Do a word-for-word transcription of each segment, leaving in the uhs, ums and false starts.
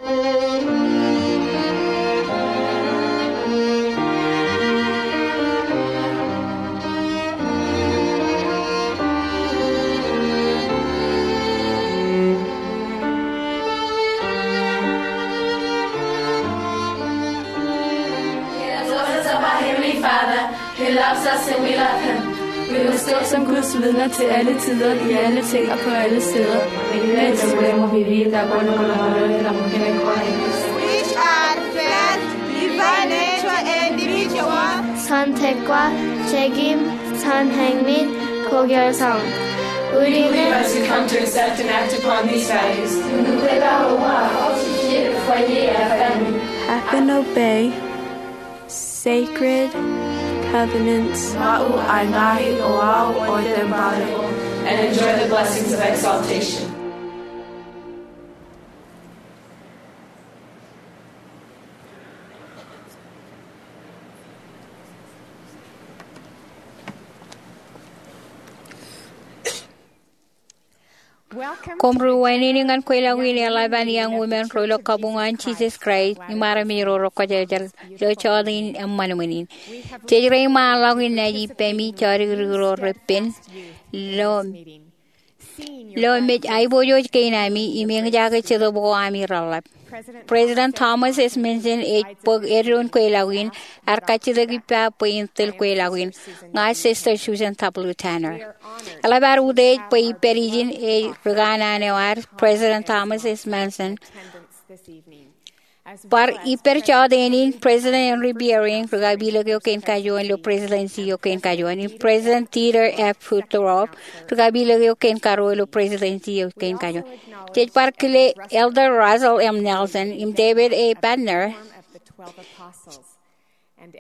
He loves us, our Heavenly Father. He loves us and we love him. Vi må stå som Guds vidner til alle tider, i alle ting og på alle steder. Which are first, divine nature and individual. Santekwa, Jekim, Sanhengmit, Kokyar Sound. Uri ne. As we come to accept and act upon these values. Have and obey. Sacred covenants. Ma'u añahi oahu otemporary. And enjoy the blessings of exaltation. Koṃ ri wāween ñan kweilọk in eḷap an young women ro ilo kabuñ an Jisōs Kraist im armej ro rekwōjarjar ilo jọteen eṃṃan in. Jej reiṃaanḷọk in naaj ippemi jodikdik ro repen ilo, ilo mej aiboojoj kein ami im eñjake jetōb ko ami reḷḷap. President Thomas S. Monson ej bōk eddoin kweilọk in, ear kajjitōk ippa bwe in tōl kweilọk in. Ña Sister Susan W. Tanner. Eḷap ad utiej bwe ippād ijin ej ri kanaan eo ad, President Thomas S. Monson. Bar ippād jọteen in, President Henry B. Eyring, ri kapilōk eo kein kajuon ilo Presidency eo kein kajuon, im President Dieter F. Uchtdorf, ri kapilōk eo kein karuo ilo Presidency eo kein kajuon. Jej bar kile Elder Russell M. Nelson im David A. Bednar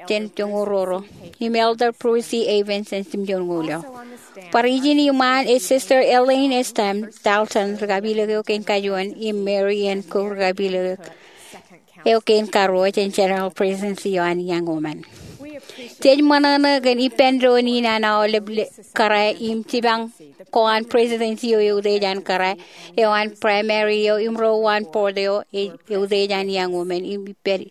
jān joñoul ruo ruo, im Elder Bruce C. Evans jān joñoul eo. Bar ijin iṃaan ej Sister Elaine S. Dalton, ri kapilōk eo kein kajuon, im Mary N. Cook, ri kapilōk eo kein karuo jān General Presidency eo an Young Women. Jej ṃōṇōṇō kōn ippān doon in an aolep kōrā im jipañ ko an Presidency eo eutiej an kōrā eo an primary eo im ro uwaan board eo eutiej an Young Women im ippād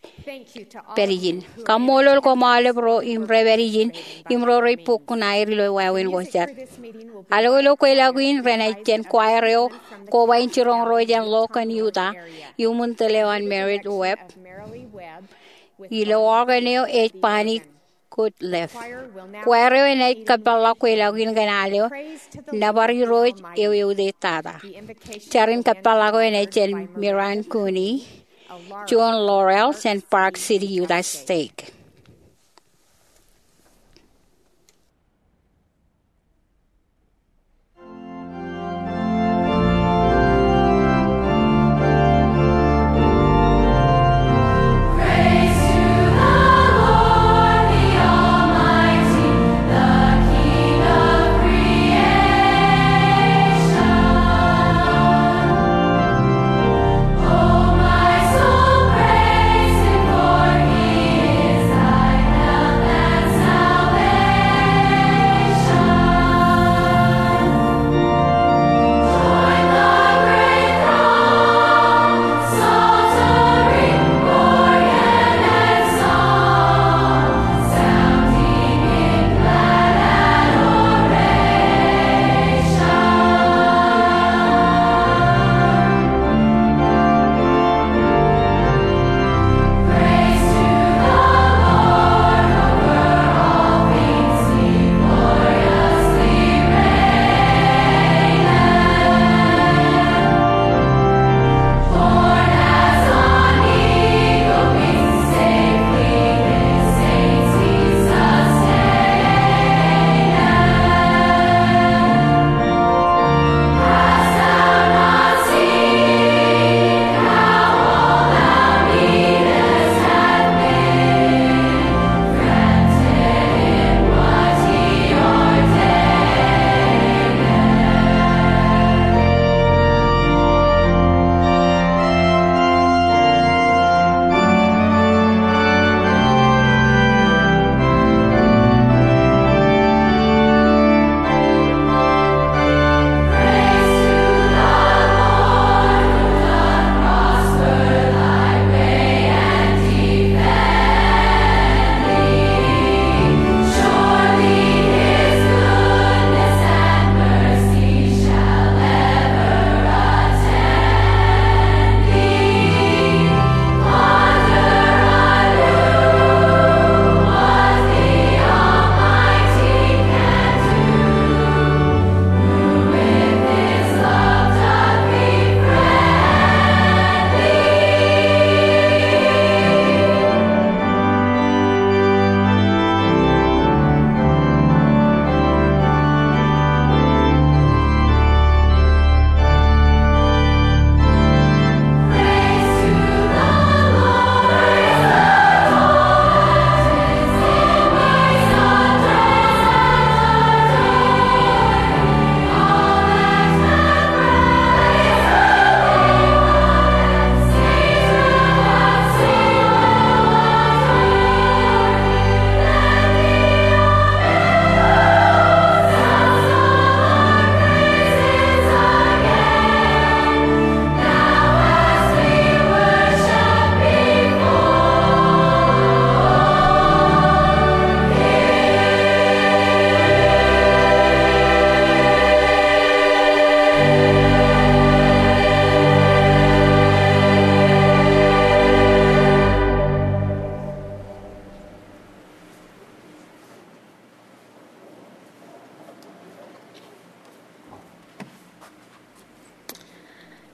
pād ijin. Kaṃṃoolol koṃ aolep ro im rej pād ijin im ro rej bōk kuṇaer ilo wāween ko jet. Al ilo kweilọk in renaaj jān choir eo koba in jiroñ ro jān Logan, Utah, iuṃwin tōl eo an Merrill Webb. Ilo organ eo ej Bonnie Goodliffe. Choir eo enaaj kōpeḷḷọk kweilọk in kōn al eo Nōbar Irooj eo Eutiej Tata. Jar in kōpeḷḷọk eo enaaj jān Miran Cooney, John Laurel jān Park City, Utah State.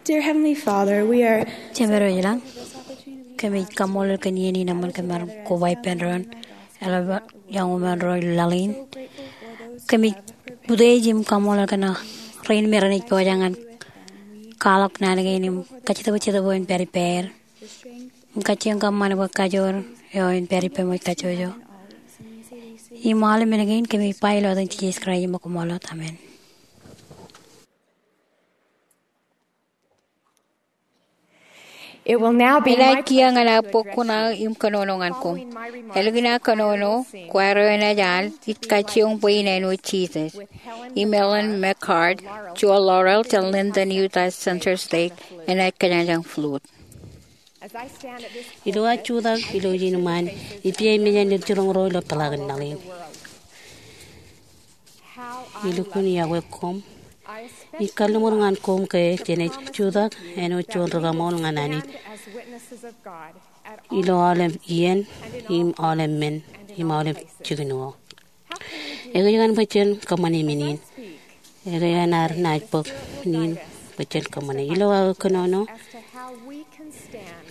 Dear Heavenly Father, we are Jemedwōj ilañ, kōmij kaṃṃoolol kōn iien in eṃṃan kōm ar koba ippān doon eḷap iọñṃaanḷọk laḷ in. Kōmij utiej im kaṃṃoolol kōn rein me renaaj pojak ñan kwaḷọk naan kein im kajjitōk jet bwe en pād ippāer im kajjioñ kōṃṃan bwe kajoor eo en pād ippemwōj kajjojo. Im aolep men kein kōmij ba ilo etan Jisōs Kraist im ṃōk ṃool wōt, amen. Enaaj kiiō ñan aō bōk kuṇaō im kōnono ñan koṃ. Ālikin aō kōnono, kwaar eo enaaj al ij kajjioñ bwe in āinwōt Jisōs. Im Ellen McCart, juon Laurel jān Linden Utah Center Stake, enaaj kōjañjañ flute. Ilo aō jutak ilo ijin ṃaan, ij pija im mejān ilo jiroñ ro ilo peḷaakin laḷ in. Elukkuun iọkwe koṃ. Ij kalliṃur ñan koṃ ke jenaaj jutak āinwōt juon rikaṃool ñan Anij ilo aolep iien im aolep men im aolep jikin eo. Ekōjkan bwe jen kōṃṃane men in? Ekōjkan ad naaj bōk men in bwe jen kōṃṃane? Ilo aō kōnono,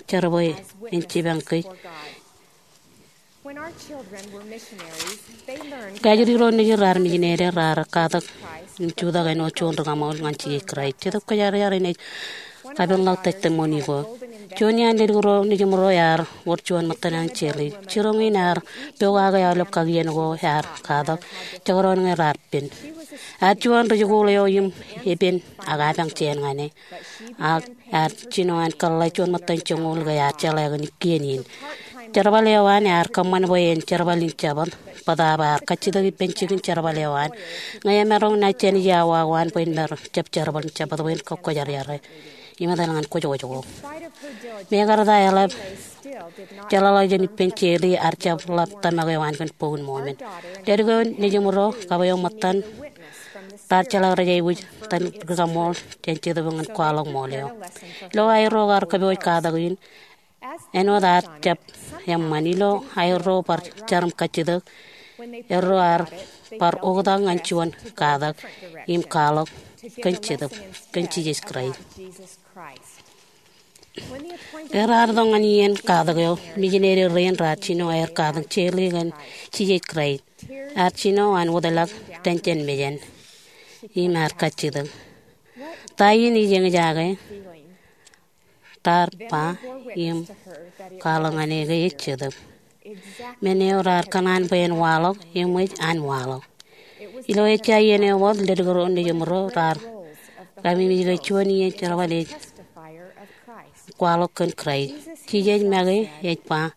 jar bwe en jipañ kōj. Ke ajri ro nejin raar mijinede, raar katak im jutak āinwōt juon rikaṃool ñan Jisōs Kraist. Jetōb Kwōjarjar enaaj kapenḷọk testimony ko. Juon iaan ledik ro nejiṃ ro ear wōr juon ṃōttan an jeḷā. Jiroñ in ear pokake aolep kakien ko ear katak, jekdọọn ñe raar pen. Ear juon ri-jikuuḷ eo im epen ak apañ jāān ñan e. Ak ear jino an kōḷḷā juon ṃōttan joñoul ke ear jeḷā kōn kien in. Jerbal eo an ear kōṃṃan bwe en jerbal in Jabōt, bōtaab ear kajjitōk ippān jikin jerbal eo an. Ñe emaroñ naaj jān ijin awa ko an bwe en maroñ jab jerbal in Jabōt bwe en kọkkwejarjar e. Im etal ñan kwōjkwōj ko. Mekarta eḷap jeḷāḷọkjeṇ ippān jeḷā, ear jab ḷap tōmak eo an kōn Bok in Mọmon. Ledik eo nejiṃ ro, kab eo ṃōttan, raar jeḷā rej aikuj tōn rikaṃool jān Jetōb ñan kwaḷọk ṃool eo. Ilo aerro kar kōpooj katak in, āinwōt ear jab eṃṃan, ilo aerro bar jar im kajjitōk, erro ear bar oktak ñan juon katak im kwaḷọk kōn Jetōb, kōn Jisōs Kraist. Ke raar tok ñan iien katak eo, mijinede rein raar jino aer katakin jeḷā kōn Jisōs Kraist. Ear jino an wōtlọk tōn jān mejān im ear kajjitōk. Ta in ij eñjake? Raar ba im kwaḷọk ñan e ke ej Jetōb. Men eo raar kōṇaan bwe en waḷọk, eṃōj an waḷọk. Ilo ejja iien eo wōt, ledik ro nejiṃ ro raar kamemej ke juon iien jerbal ej kwaḷọk kōn Kraist. Jisōs make ej ba,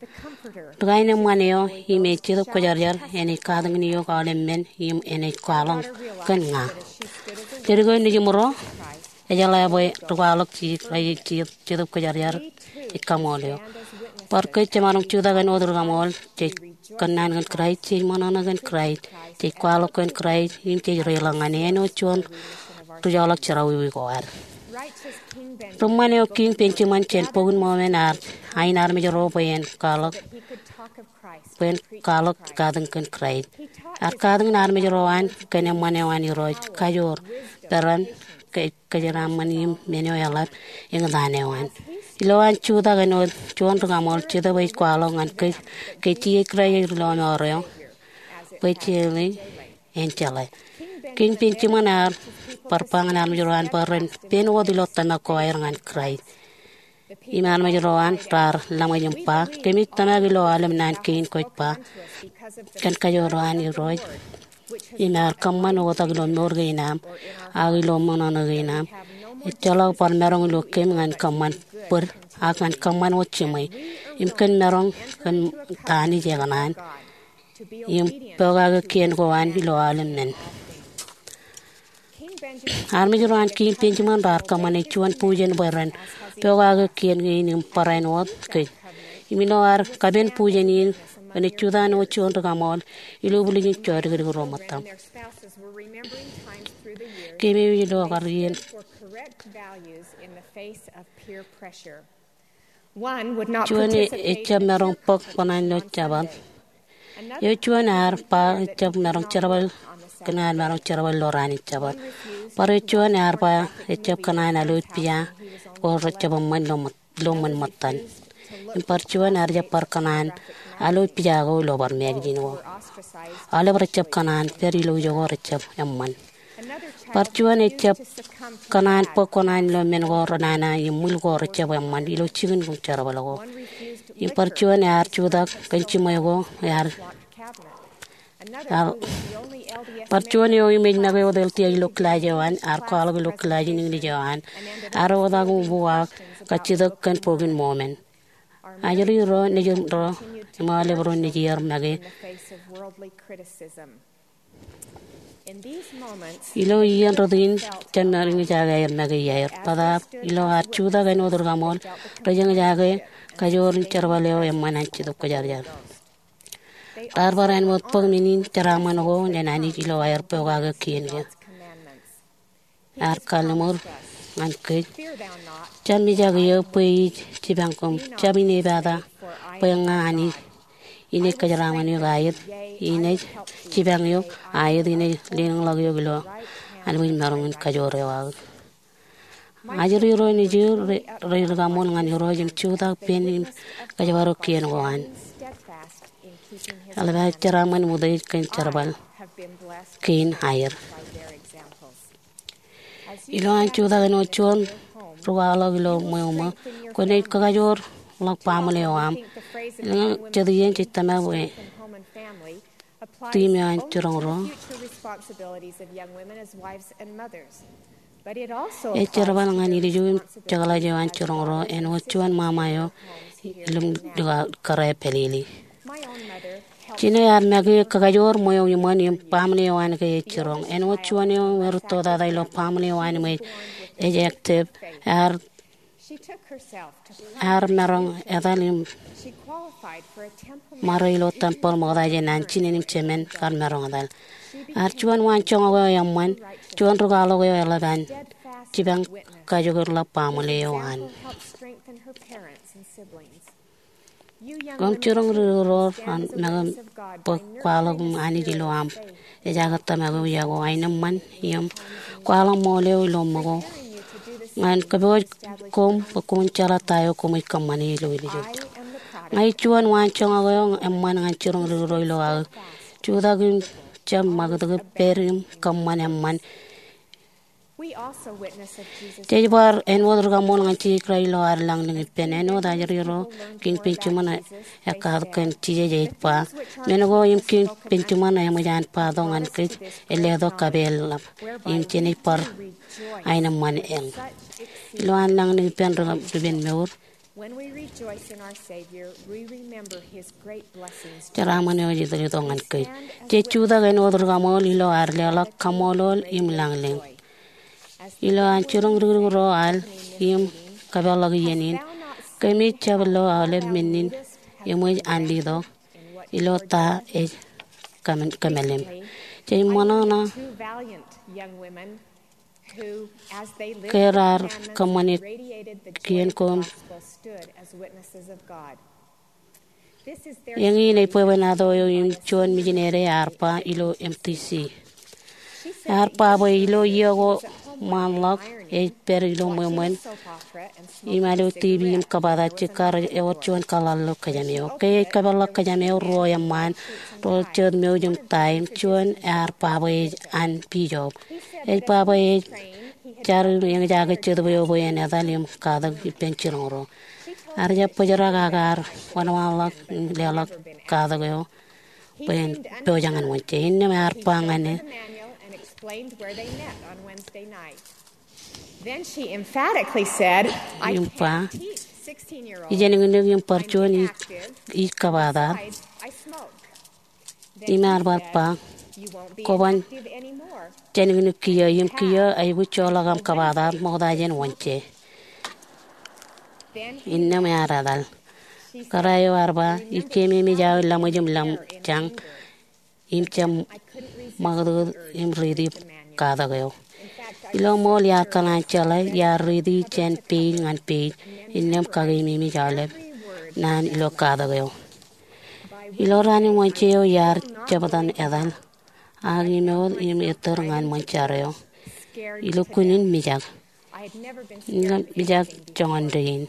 ri kaenōṃṃan eo im ej Jetōb Kwōjarjar enaaj katakin eok aolep men im enaaj kwaḷọk kōn ña. Ledik eo nejiṃ ro ejeḷā bwe ri kwaḷọk Jisōs Kraist ej Jetōb Kwōjarjar ej kaṃool eo. Bar kōj jemaroñ jutak āinwōt rikaṃool, jej kōnnaan kōn Kraist, jej ṃōṇōṇō kōn Kraist, jej kwaḷọk kōn Kraist, im jej reiḷọk ñan e āinwōt juon ri-joḷọk jerọwiwi ko ad. Ri-ṃṃan eo Kiiñ Benjamin jān Bok in Mọmon ear ain armej ro bwe en kwaḷọk, bwe en kwaḷọk katakin kōn Kraist. Ear katakin armej ro an kōn eṃṃan eo an Irooj, kajoor, peran, ke kōjeraaṃṃan im men eo eḷap eñtaan eo an. Ilo an jutak āinwōt juon rikaṃool, Jetōb ej kwaḷọk ñan kōj ke Jisōs Kraist ej ri-lọmọọr eo bwe jeḷā en jeḷā. Kiiñ Benjamin ear bar ba ñan armej ro an bwe ren pen wōt ilo tōmak ko aer ñan Kraist. Im armej ro an raar laṃōj im ba, kōmij tōmak ilo aolep naan kein kwōj ba kōn kajoor eo an Irooj, im ear kōṃṃan oktak ilo mour kein am, ak ilo ṃōṇōṇō kein am. Ejjeḷọk bar maroñ ilo kōm ñan kōṃṃan bōd, ak ñan kōṃṃan wōt jiṃwe, im kōn maroñ kōn ta Anij ekōṇaan, im pokake kien ko an ilo aolep men. Armej ro an Kiiñ Benjamin raar kōṃṃane juon bujen bwe ren pokake kien kein im barāinwōt kōj. Im ilo ad kapen bujen in, renaaj jutak āinwōt juon rikaṃool ilo bwiljin jodikdik ro ṃōttaṃ. Kōmij ilo kar iien. Juon ejjab maroñ bōk bōran ilo Jabōt. Eo juon ear ba ejjab maroñ jerbal, kōn an maroñ jerbal ilo raan in Jabōt. Bar eo juon ear ba ejjab kōṇaan alooj pija ko rejjab eṃṃan ilo ṃōt-, ilo ṃōn ṃōttan. Im bar juon ear jab bar kōṇaan alo pija ko ilo bar magazine ko. Aolep rejjab kōṇaan pād ilo ijo ko rejjab eṃṃan. Bar juon ejjab kōṇaan bōk kōṇaan ilo men ko renana im ṃwil ko rejjab eṃṃan ilo jikin im jerbal ko. Im bar juon ear jutak kōn jiṃwe ko ear Bar juon eo im ej make wōt L D S ilo kilaaj eo an, ear kwaḷọk ilo kilaaj in Iñlij eo an, ear oktak im uwaak kajjitōk kōn Bok in Mōmon. Ajri ro, nejin ro, im aolep ro nejin make. Ilo iien rot in, jemaroñ eñjake aer make iaer. Bōtaab ilo ad jutak āinwōt rikaṃool, rej eñjake kajoor in jerbal eo eṃṃan an Jetōb Kwōjarjar. Raar bar āinwōt bōk men in jeraaṃṃan ko jān Anij ilo aer pokake kien ke. Ear kalliṃur ñan kōj, jab mijak eō bwe ij jipañ koṃ. Jab inepata, bwe ña Anij in ej kōjeraaṃṃan eok aet, in ej jipañ eok aet, in ej lelōñḷọk eok ilo anbwijmaroñ in kajoor eo aō. Ajri ro nejin ro, rej rikaṃool ñan Irooj im jutak pen im kōjparok kien ko an. Eḷap aer jeraaṃṃan im utiej kōn jerbal kein aer. Ilo an jutak āinwōt juon rūkwaḷọk ilo ṃweo ṃō, kwōnaaj kakajoorḷọk baaṃle eo aṃ. Eḷaññe jet iien jej tōmak bwe theme eo an jiroñ ro ej jerbal ñan ilju im jekḷaj eo an jiroñ ro āinwōt juon ṃaṃa eo ilo im likao kōrā pālele. Jinen ear make kakajoor ṃweo iṃōn im baaṃle eo an ke ej jiroñ. Āinwōt juon eo im rūtto tata ilo baaṃle eo an im ej, ej active, ear ear maroñ etal im ṃare ilo tempeḷ ṃokta jān an jinen im jemān kar maroñ etal. Ear juon waanjoñak eo eṃṃan, juon rūkwaḷọk eo eḷap an jipañ kajokeḷọk baaṃle eo an. Koṃ jiroñ ri-, ri-, ro raar make bōk kwaḷọk im Anij ilo aṃ ejaake tōmak eo iọkwe, aenōṃṃan im kwaḷọk ṃool eo ilo ṃōko. Ñan kōpooj koṃ bwe koṃwin jeḷā ta eo koṃij kōṃṃane ilo ilju. Ña ij juon waanjoñak eo eṃṃan ñan jiroñ ri-, ro ilo aō jutak im jab ṃakūtkūt pād im kōṃṃan eṃṃan. Jej bar āinwōt rikaṃool ñan Jisōs Kraist ilo ad lañlōñ ippān. Āinwōt ajri ro, Kiiñ Benjamin ekkatak kōn Jisōs ej ba, men ko im Kiiñ Benjamin eṃōj an ba tok ñan kōj, ej letok kapeel ḷap im jenaaj bar aenōṃṃan eñ. Ilo an lañlōñ ippān ri-, ripenmour, jeraaṃṃan eo ej itok ñan kōj. Jej jutak āinwōt rikaṃool ilo ad leḷọk kaṃṃoolol im lañlōñ. Ilo an jiroñ rikdik ro al im kapeḷḷọk iien in, kōmij jab lo aolep men in eṃōj an letok ilo ta ej kōm-, kōmeḷeḷe. Jej ṃōṇōṇō ke raar kōṃṃane kien ko. Eñin ej bwebwenato eo im juon mijinede ear ba ilo M D C. Ear ba bwe ilo iiō ko ṃaanḷọk ej pād ilo ṃweo ṃōn im ilo T V im kōbatak jikkar ewōr juon kōḷḷāḷḷo kōjām eo. Ke ej kōpeḷḷọk kōjām eo, ruo eṃṃaan, ro jet mouj im taim, juon ear ba bwe ej an bishop. Ej ba bwe ej jar im eñjake jetōb eo bwe en etal im katak ippān jiroñ ro. Ear jab bōjrak ak ear wanwanḷọk im leḷọk katak eo bwe en pojak ñan Wednesday. Innām ear ba ñan e, im ba, ij ānuknuk im bar juon ij, ij kōbatar. Im ear bar ba, kwōban jānuknuk kiiō, im kiiō aikuj joḷọk aṃ kōbatar ṃokta jān Wednesday. Innām ear etal. Kōrā eo ear ba, ij keememej aō laṃōj im laṃjañ im jab ṃakūtkūt im riiti katak eo. Ilo ṃool iar kōṇaan jeḷā, iar riiti jān page ñan page, innām kakeememej aolep naan ilo katak eo. Ilo raan in Wednesday eo iar jab etal, ak im ewōr im ettōr ñan ṃōn jar eo. Ilo kunin mijak. Im mijak joñan dein.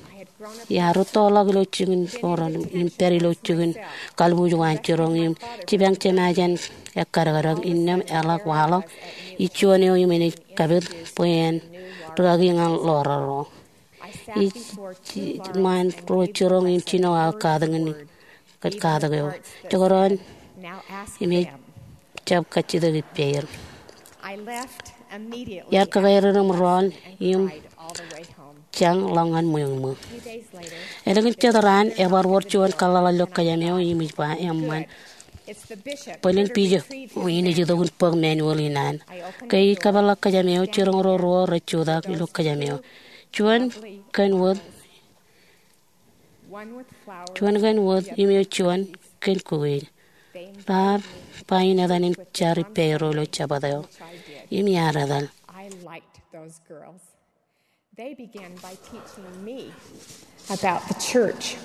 Iar rūttoḷọk ilo jikin ro im pād ilo jikin kalbuuj ko an jiroñ im jipañ jemājeṇ ekkadkadek, innām eḷak waḷọk ij juon eo im enaaj kapit bwe en rūkaki ñan ḷoraḷ ro. Ij, ij ṃaan ruo jiroñ im jino aō katakin kōn katak eo. Jekdọọn im ejjab kajjitōk ippāer. Iar kōkāer im rọọl im jañ ḷọk ñan ṃweo ṃweo. Ālikin jet raan, ebar wōr juon kōḷḷaḷḷaḷ ilo kōjām eo im ej ba, eṃṃan, bōlen bijop eo in ej itok in bōk manual in an. Ke ij kōpeḷḷọk kōjām eo, jiroñ ro ruo rej jutak ilo kōjām eo. Juon kōn wōt Juon kōn wōt im eo juon kōn kuwij. Raar ba in etan im jar ippāerro ilo Jabōt eo. Im iar etal. They began by teaching me about the church,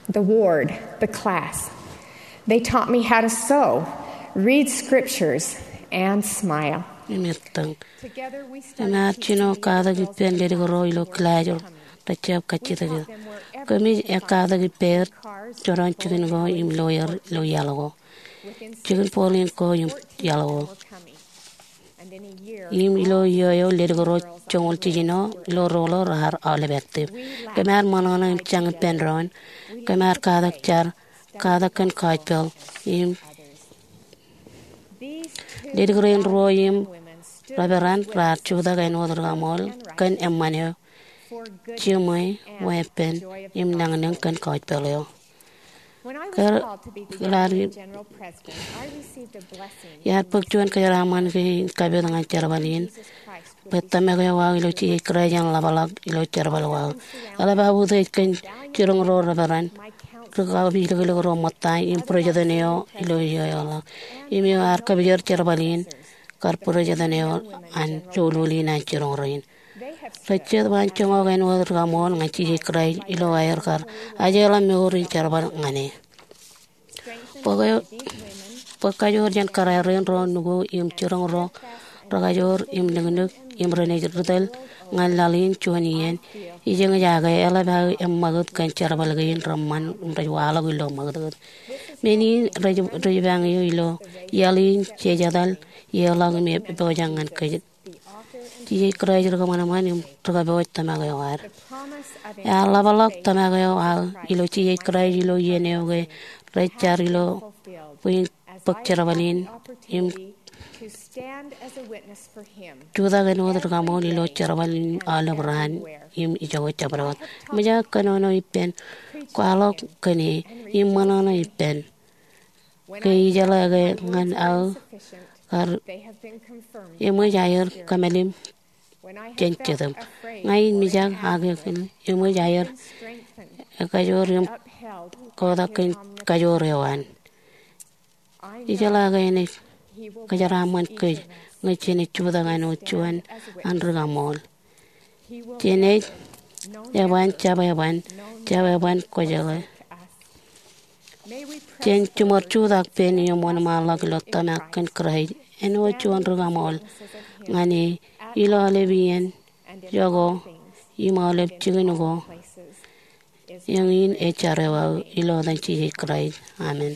the ward, the class. They taught me how to sew, read scriptures, and smile. Im ettōñ. Im ear jino katak ippān ledik ro ilo kilaaj ro rej jab kajjitōk. Kōmij katak ippāer joñan jikin ko im loer ilo iaḷ ko. Jikin bōlen ko im iaḷ ko. Im ilo iiō eo ledik ro joñoul jiljino ilo roḷ eo raar aolep active. Kōm ar ṃōṇōṇō im jañ ippān doon. Kōm ar katak jar, katak kōn gospel im ledik rein ruo im reverend raar jutak āinwōt rikaṃool kōn eṃṃan eo, jiṃwe, weeppān im lañlōñ kōn gospel eo. Ke raar, iar bōk juon kōjeraaṃṃan kein kapit ñan jerbal in bwe tōmak eo aō ilo Jisōs Kraist en ḷapḷọk ilo jerbal eo aō. Eḷap aō utiej kōn jiroñ ro reverend, ri-kapilōklōk ro ṃōtta im president eo ilo iiō eo ḷọk. Im eo ear kōpijor jerbal in kar president eo an joulul in an jiroñ rein. Rej jet waan joñak āinwōt rikaṃool ñan Jisōs Kraist ilo aer kar ajeḷā mour in jerbal ñan e. Bōk, bōk kajoor jān kōrā rein ro nukū im jiroñ ro rekajoor im liknik im renaaj ri tōl ñan laḷ in juon iien. Ij eñjake eḷap aō eṃṃakūt kōn jerbal kein reṃṃan im rej waḷọk ilo ṃakūtkūt. Men in rej, rej ippān eō ilo iaḷ in jej etal, eḷaññe ej pojak ñan kōj. Jisōs Kraist ri kōṃanṃan im ri kōpooj tōmak eo ad. Ear ḷapḷọk tōmak eo aō ilo Jisōs Kraist ilo iien eo ke rej jar ilo bwe in bōk jerbal in im jutak āinwōt rikaṃool ilo jerbal in aolep raan im ijoko jabdewōt. Eṃōj aō kōnono ippān, kwaḷọk kōn e im ṃōṇōṇō ippān. Ke ijeḷā ke ñan aō kar, eṃōj aer kōmālim jān Jetōb. Ña in mijak ak eṃōj aer ekajoor im kotak kōn kajoor eo an. Ijeḷā ke enaaj kōjeraaṃṃan kōj ñe jenaaj jutak āinwōt juon an rikaṃool. Jenaaj eban, jab eban, jab eban kwōjeḷā. Jen jiṃor jutak pen im wōnṃaanḷọk ilo tōmak kōn Kraist āinwōt juon rikaṃool ñan e ilo aolep iien, iọkwe, im aolep jikin ko. Eñin ej jar eo aō ilo etan Jisōs Kraist. Amen.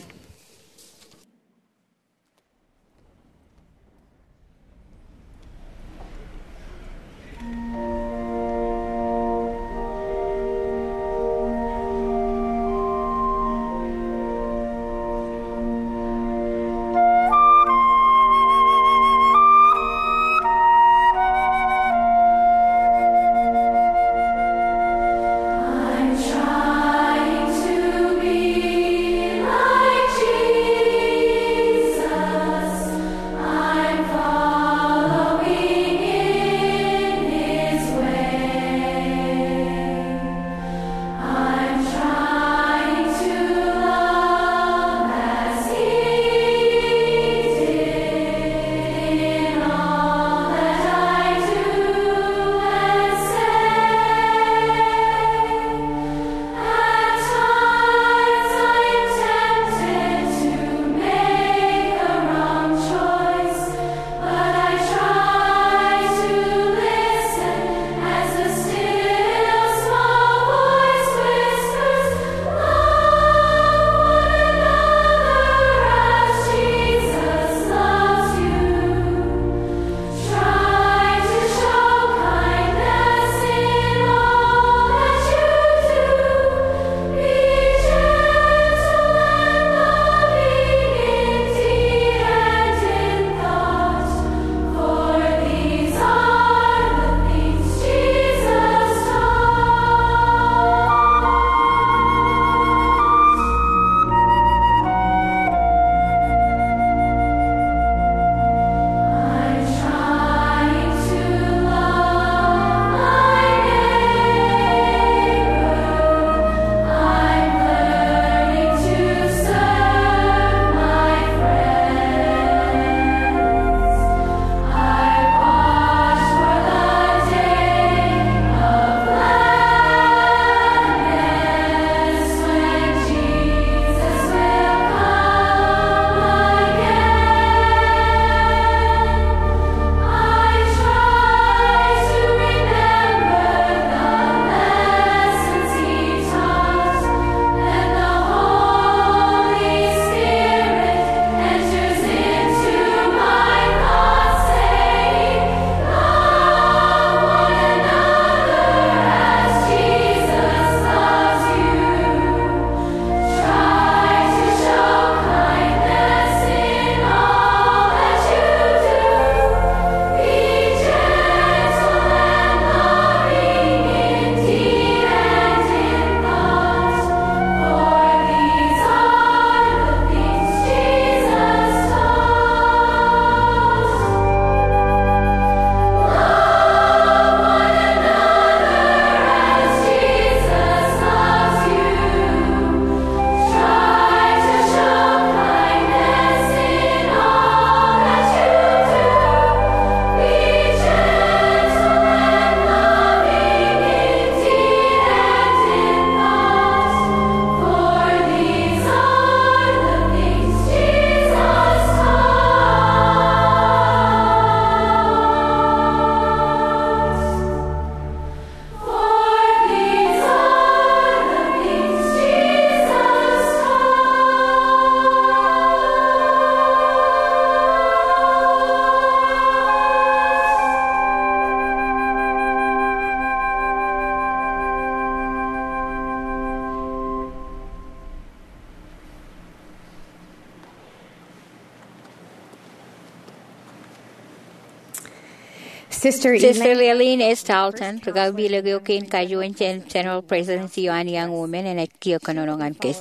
Sister Lillian S. Dalton, ri-kapiloke eo kein kajuon jān General Presidency eo an Young Women, enaaj kiiō kōnono ñan kōj.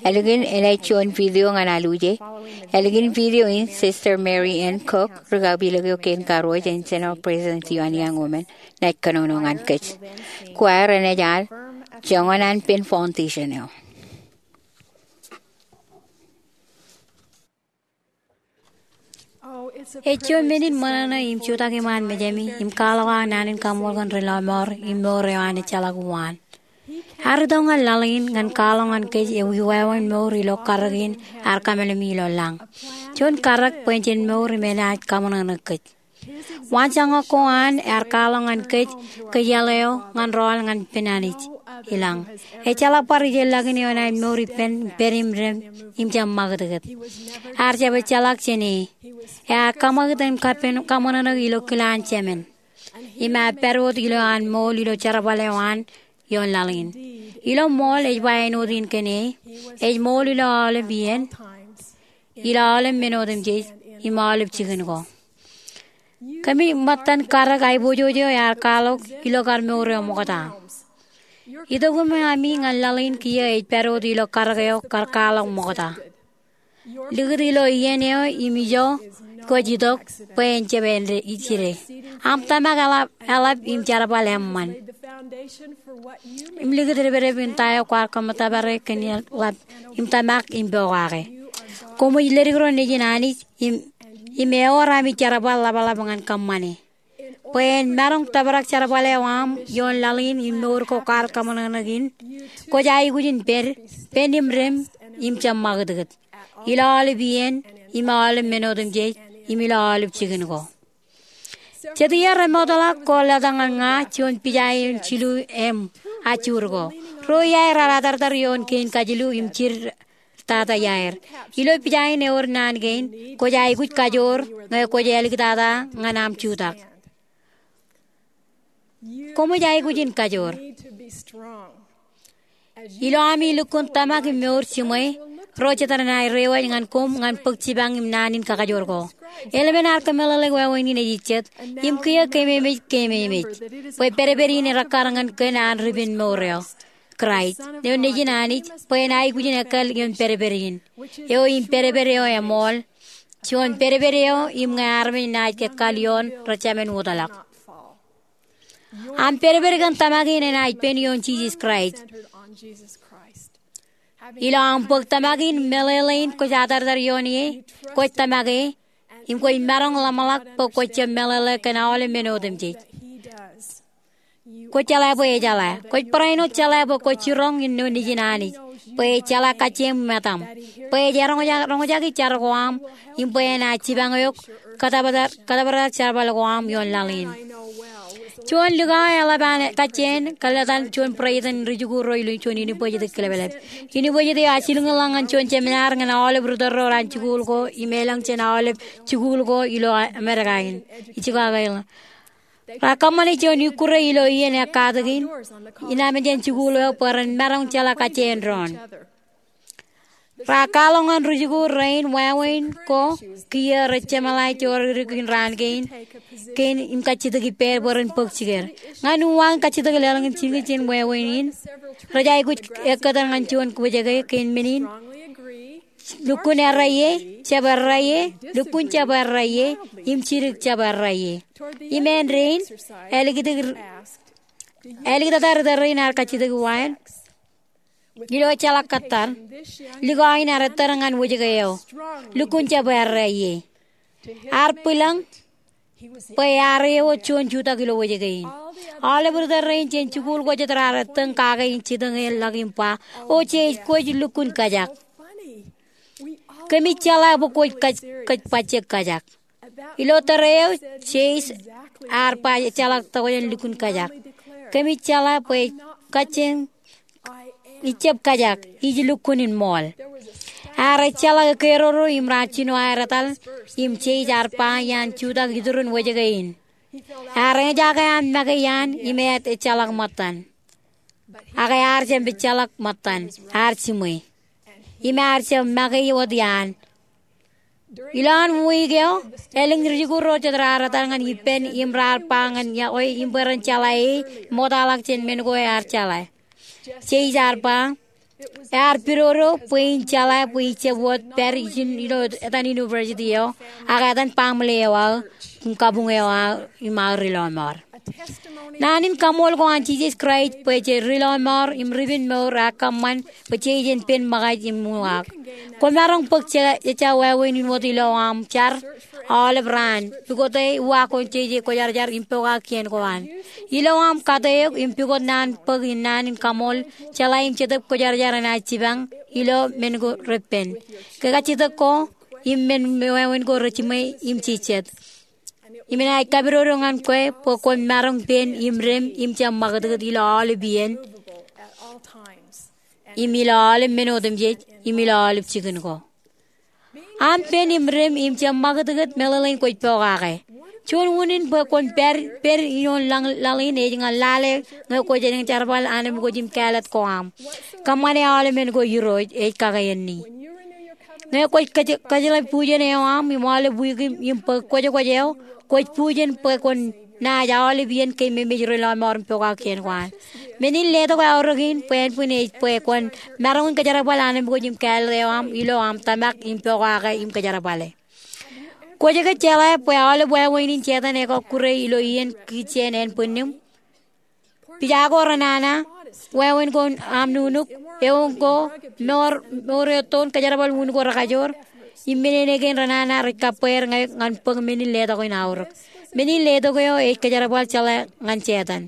Ālikin enaaj juon video ñan aluje. Ālikin video in, Sister Mary N. Cook, ri-kapiloke eo kein karuo jān General Presidency eo an Young Women, enaaj kōnono ñan kōj. Choir enaaj al joñan an pen foundation eo. Ej juon men in ṃōṇōṇō im jutak iṃaan mejami im kwaḷọk aō naan in kaṃṃool kōn ri-lọmọọr im mour eo an ejjeḷọk uwaan. Ear itok ñan laḷ in ñan kwaḷọk ñan kōj ewi wāween mour ilo karōk in ear kōmeḷeḷe ilo lañ. Juon karōk bwe en jen mour im enaaj kaṃōṇōṇō kōj. Waanjoñak ko an ear kwaḷọk ñan kōj kōjeḷā eo ñan rọọl ñan pen Anij i lañ. Ejjeḷọk bar ijeḷḷọkin eo enaaj mour ippān pād im rem im jab ṃakūtkūt. Ear jab ejjeḷọk jān e. Ear kaṃakūt im kaṃōṇōṇō ilo kile an Jemān. Im ear pād wōt ilo an ṃool ilo jerbal eo an ioon laḷ in. Ilo ṃool ej ba āinwōt in kōn e, ej ṃool ilo aolep iien, ilo aolep men otemjej, im aolep jikin ko. Kōmij ṃōttan karōk aiboojoj eo ear kwaḷọk ilo kar mour eo ṃokta. Itok iṃaan ami ñan laḷ in kiiō ej pād wōt ilo karōk eo kar kwaḷọk ṃokta. Likūt ilo iien eo im ijo kwōj itok bwe en jab ijide. Aṃ tōmak eḷap, eḷap im jerbal eṃṃan. Im likūt depdep in ta eo kwaar kōṃṃan tōpar kōn eḷap im tōmak im pokake. Koṃij ledik ro nejin Anij im, im ewōr ami jerbal ḷapḷap ñan kōṃṃane. Bwe en maroñ tōprak jerbal eo aṃ ioon laḷ in im mour ko kwaar kōṃōṇōṇō in, kwōj aikuj in pād, pād im rem im jab ṃakūtkūt. Ilo aolep iien, im aolep men otemjej, im ilo aolep jikin ko. Jet iiō remootḷọk ko lōta ñan ña juon pija in jilu im ajjuur ko. Ruo iaer ear atartar ioon kein kajilu im jid tata iaer. Ilo pija in ewōr naan kein, kwōj aikuj kajoor ñe kwōj āliktata ñan aṃ jutak. Koṃij aikuj in kajoor. Ilo ami lukkuun tōmak im mour jiṃwe, ro jet renaaj rewōj ñan koṃ ñan bōk jipañ im naan in kakajoor ko. Eḷmen ear kōmeḷeḷe wāween in ej jet, im kiiō keememej, keememej. Bwe pedped in erekkar ñan kōn an ri-penmour eo, Kraist, eo nejin Anij, bwe en aikuj in ekkal ioon pedped in. Eo im pedped eo eṃool, juon pedped eo im ñe armej naaj ekkal ioon rej jemān wōtlọk. Aṃ pedped kōn tōmak in enaaj pen ioon Jisōs Kraist. Ilo aṃ bōk tōmak in meḷeḷe in kwōj atartar ioon e, kwōj tōmak e, im kwōj maroñ ḷōmṇak bwe kwōj jab meḷeḷe kōn aolep men otemjej. Kwōj jeḷā bwe ejeḷā. Kwōj barāinwōt jeḷā bwe kwōj jiroñ ilo nejin Anij. Bwe ej jeḷā kajjien metaṃ. Bwe ej eroñjake, roñjake jar ko aṃ, im bwe enaaj jipañ eok kōtōpar, kōtōpar jerbal ko aṃ ioon laḷ in. Juon likao eḷap an kajjien, kōḷḷātan juon barāinwōt rijikuuḷ ro ilo juon university kilepḷep. University eo ej jilkinḷọk ñan juon jemenaar ñan aolep ri-tōl ro raar jikuuḷ ko, im elōñ jān aolep jikuuḷ ko ilo Amerika in. Ij jikuuḷ ko ilo Raar kōṃṃane juon ikkure ilo iien ekkatak in, inaaj men jān jikuuḷ eo bwe ren maroñ jeḷā kajjien doon. Raar kwaḷọk ñan rijikuuḷ rein wāween ko kiiō rej jeṃḷae joorōk in raan kein, kein im kajjitōk ippāer bwe ren bōk jikier. Ñan uwaak kajjitōk lōḷñiñ jikin jān wāween in, rej aikuj ekkōtōn ñan juon wōjke kein men in, lukkuun errā ie, jab errā ie, lukkuun jab errā ie, im jidik jab errā ie. Im āindein, āliktata ri-tōl rein ear kajjitōk wāween. Ilo ejjeḷọk kōttar, likao in ear ettōr ñan wōjke eo. Lukkuun jab errā ie. Ear bwilōñ, bwe ear eo juon jutak ilo wōjke in. Aolep ri-tōl rein jān jikuuḷ ko jet raar ettōñ kake in jitōñḷọk im ba, O Jeis, kwōj lukkuun kōjak. Kōmij jeḷā bwe kwōj kōj, kōj bajjek kōjak. Ilo tōre eo, Jeis ear ba ejjeḷọk tokjān lukkuun kōjak. Kōmij jeḷā bwe kajjien Ij jab kōjak, ij lukkuun in ṃool. Ear ejjeḷọk ekeroro im raar jino aer etal, im Jeis ear ba iaan jutak iturin wōjke in. Ear eñjake an make iaan im ear ejjeḷọk ṃōttan. Ak ear jab ejjeḷọk ṃōttan, ear jiṃwe. Im ear jab make wōt iaan. Ilowaan wiik eo, elōñ rijikuuḷ ro jet raar etal ñan ippān im raar ba ñan yokwe im bwe ren jeḷā e im ṃoktaḷọk jān men ko ear jeḷā. Jeis ear ba, ear pidodo bwe in jeḷā bwe ij jab wōt pād ijin ilo etan university eo, ak etan baaṃle eo aō, im kabuñ eo aō, im aō ri lọmọọr. Naan in kaṃool ko an Jisōs Kraist bwe jej ri lọmọọr im ri pen mour ear kōṃṃan bwe jej jen pen ṃōkaj im uwaak. Kwōmaroñ bōk je, jejja wāween in wōt ilo aṃ jar aolep raan, pukot e uwaak ko jeje kwōjarjar im pokake kien ko an. Ilo aṃ kate eok im pukot naan bōk in naan in kaṃool, jeḷā im jetōb kwōjarjar enaaj jipañ ilo men ko repen. Ke kajjitōk ko im men wāween ko rejiṃwe im jijet. Im enaaj kapidodo ñan kwe bwe kwōn maroñ pen im rem im jab ṃakūtkūt ilo aolep iien, im ilo aolep men otemjej, im ilo aolep jikin ko. Aṃ pen im rem im jab ṃakūtkūt meḷeḷein kwōj pokake. Juon unin bwe kwōn pād, pād ioon laḷ, laḷ in ej ñan lale ñe kwōj eñjerbal anemkwōj im kāālōt ko aṃ. Kōṃṃane aolep men ko Irooj ej kake āne. Ñe kwōj kōj, kōjjeḷā bujen eo aṃ im aolep wiik im, im bōk kwōjkwōj eo, kwōj bujen bwe kwōn naaj aolep iien ke memej ri lọmọọr im pokake kien ko an. Men in letok aorōk in bwe ānbwin ej bwe kwōn maroñ in kōjerbal anemkwōj im kāālōt eo aṃ ilo aṃ tōmak im pokake im kōjerbale. Kwōj ke jeḷā bwe aolep wāween in Setan ekọkkure ilo iien kijjien ānbwinnim? Pija ko renana, wāween ko aṃ nuknuk, eoon ko, mour, mour eo ettoon, kōjerbal un ko rekajoor, im men in kein renana rej kabbweer ñe ñan bōk men in letok in aorōk. Men in letok eo ej kōjerbal jeḷā ñan Setan.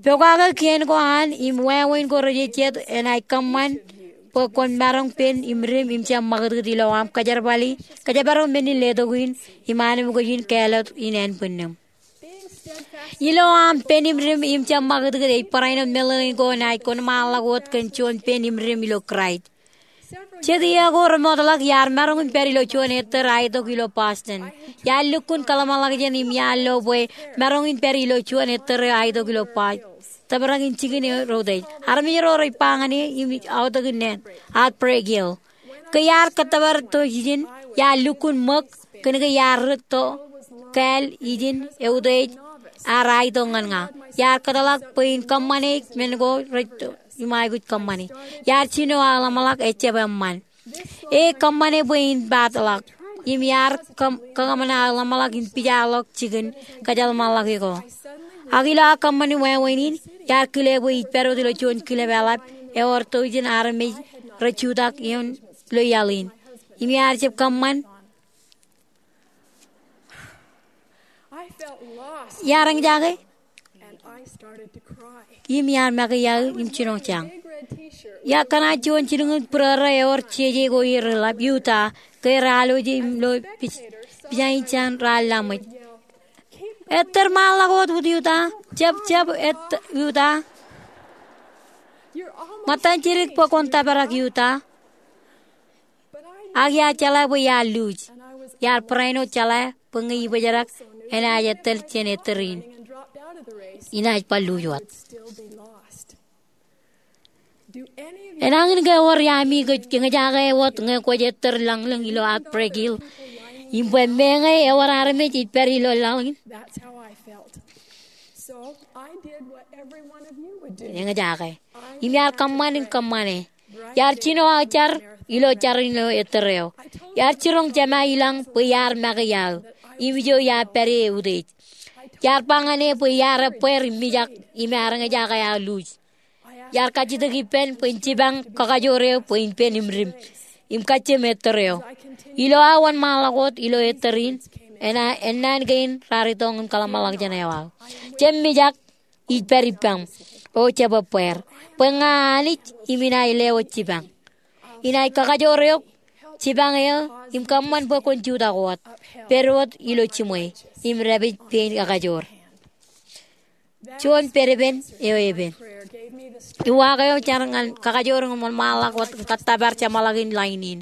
Pokake kien ko an im wāween ko rejejjet enaaj kōṃṃan bwe kwōn maroñ pen im rem im jab ṃakūtkūt ilo aṃ kōjerbali, kōjparok men in letok in im anemkwōj in kāālōt in ānbwinnim. Ilo aṃ pen im rem im jab ṃakūtkūt ej barāinwōt meḷeḷein ko enaaj kōnṃaanḷọk wōt kōn juon pen im rem ilo Kraist. Jet iiō ko remootḷọk iar maroñ in pād ilo juon ettōr aetok ilo Boston. Iar lukkuun kōḷmānḷọkjeṇ im iar lo bwe maroñ in pād ilo juon ettōr eo aetok ilo Boston. Tōprak in jikin eo reutiej. Armej ro rej ba ñan e im aotak in naan, Outbreak Hill. Ke iar kōttōpar tok ijin, iar lukkuun ṃōk, kōnke iar ri to kāāl ijin eutiej ear aetok ñan ña. Iar kōtḷọk bwe in kōṃṃane men ko rej to im aikuj kōṃṃane. Iar jino aō ḷōmṇak ejjab eṃṃan. E kōṃṃane bwe in paatḷọk. Im iar kōṃ, kōṃṃan aō ḷōmṇak in pijaḷọk jikin kōjeḷmānḷọke ko. Ak ilo aō kōṃṃani wāween in, iar kile bwe ij pād wōt ilo juon kilep eḷap ewōr tọujin armej rej jutak ioon ilo iaḷ in. Im iar jab kōṃṃan, iar eñjake im iar make iaō im jino jañ. Iar kōṇaan juon jilñuul būrōrō ewōr jeje ko er ḷap, Utah, ke raar loe im lo pij, pijainjain raar laṃōj. Ettōr ṃaanḷọk wōt, Utah. Jab, jab, et, Utah. Ṃōttan jidik bwe kwōn tōprak, Utah. Ak iar jeḷā bwe iar luuj. Iar barāinwōt jeḷā bwe ñe ibōjrak enaaj ettōl jān ettōr in, inaaj bar luuj wōt. Enañin ke ewōr iaami kwōj eñjake wōt ñe kwōj ettōr lañlōñ ilo Outbreak Hill im bwe meñe ewōr armej ej pād ilo laḷ in? Eñjake. Im iar kōṃṃan in kōṃṃane. Iar jino aō jar ilo jar in ilo ettōr eo. Iar jiroñ Jema i lañ bwe iar make iaō im ijo iar pād e eutiej. Iar ba ñan e bwe iar ebbeer im mijak im ear eñjake aō luuj. Iar kajjitōk ippān bwe in jipañ kakajoor eo bwe in pen im rem im kajjiem ettōr eo. Ilo aō wōnṃaanḷọk wōt ilo ettōr in, ennaan kein raar itok im kōḷmānḷọkjeṇ eo aō. Jab mijak ij pād ippaṃ, o jab ebbeer, bwe ña Anij im inaaj lewōj jipañ. Inaaj kakajoor eok, jipañ eō, im kōṃṃan bwe kwōn jutak wōt, pād wōt ilo jiṃwe, im dāpij pein kakajoor. Juon pedpen eo epen. Uwaak eo jar ñan kakajoor in wōnṃaanḷọk wōt im kōttōpar jeṃḷọkin lain in.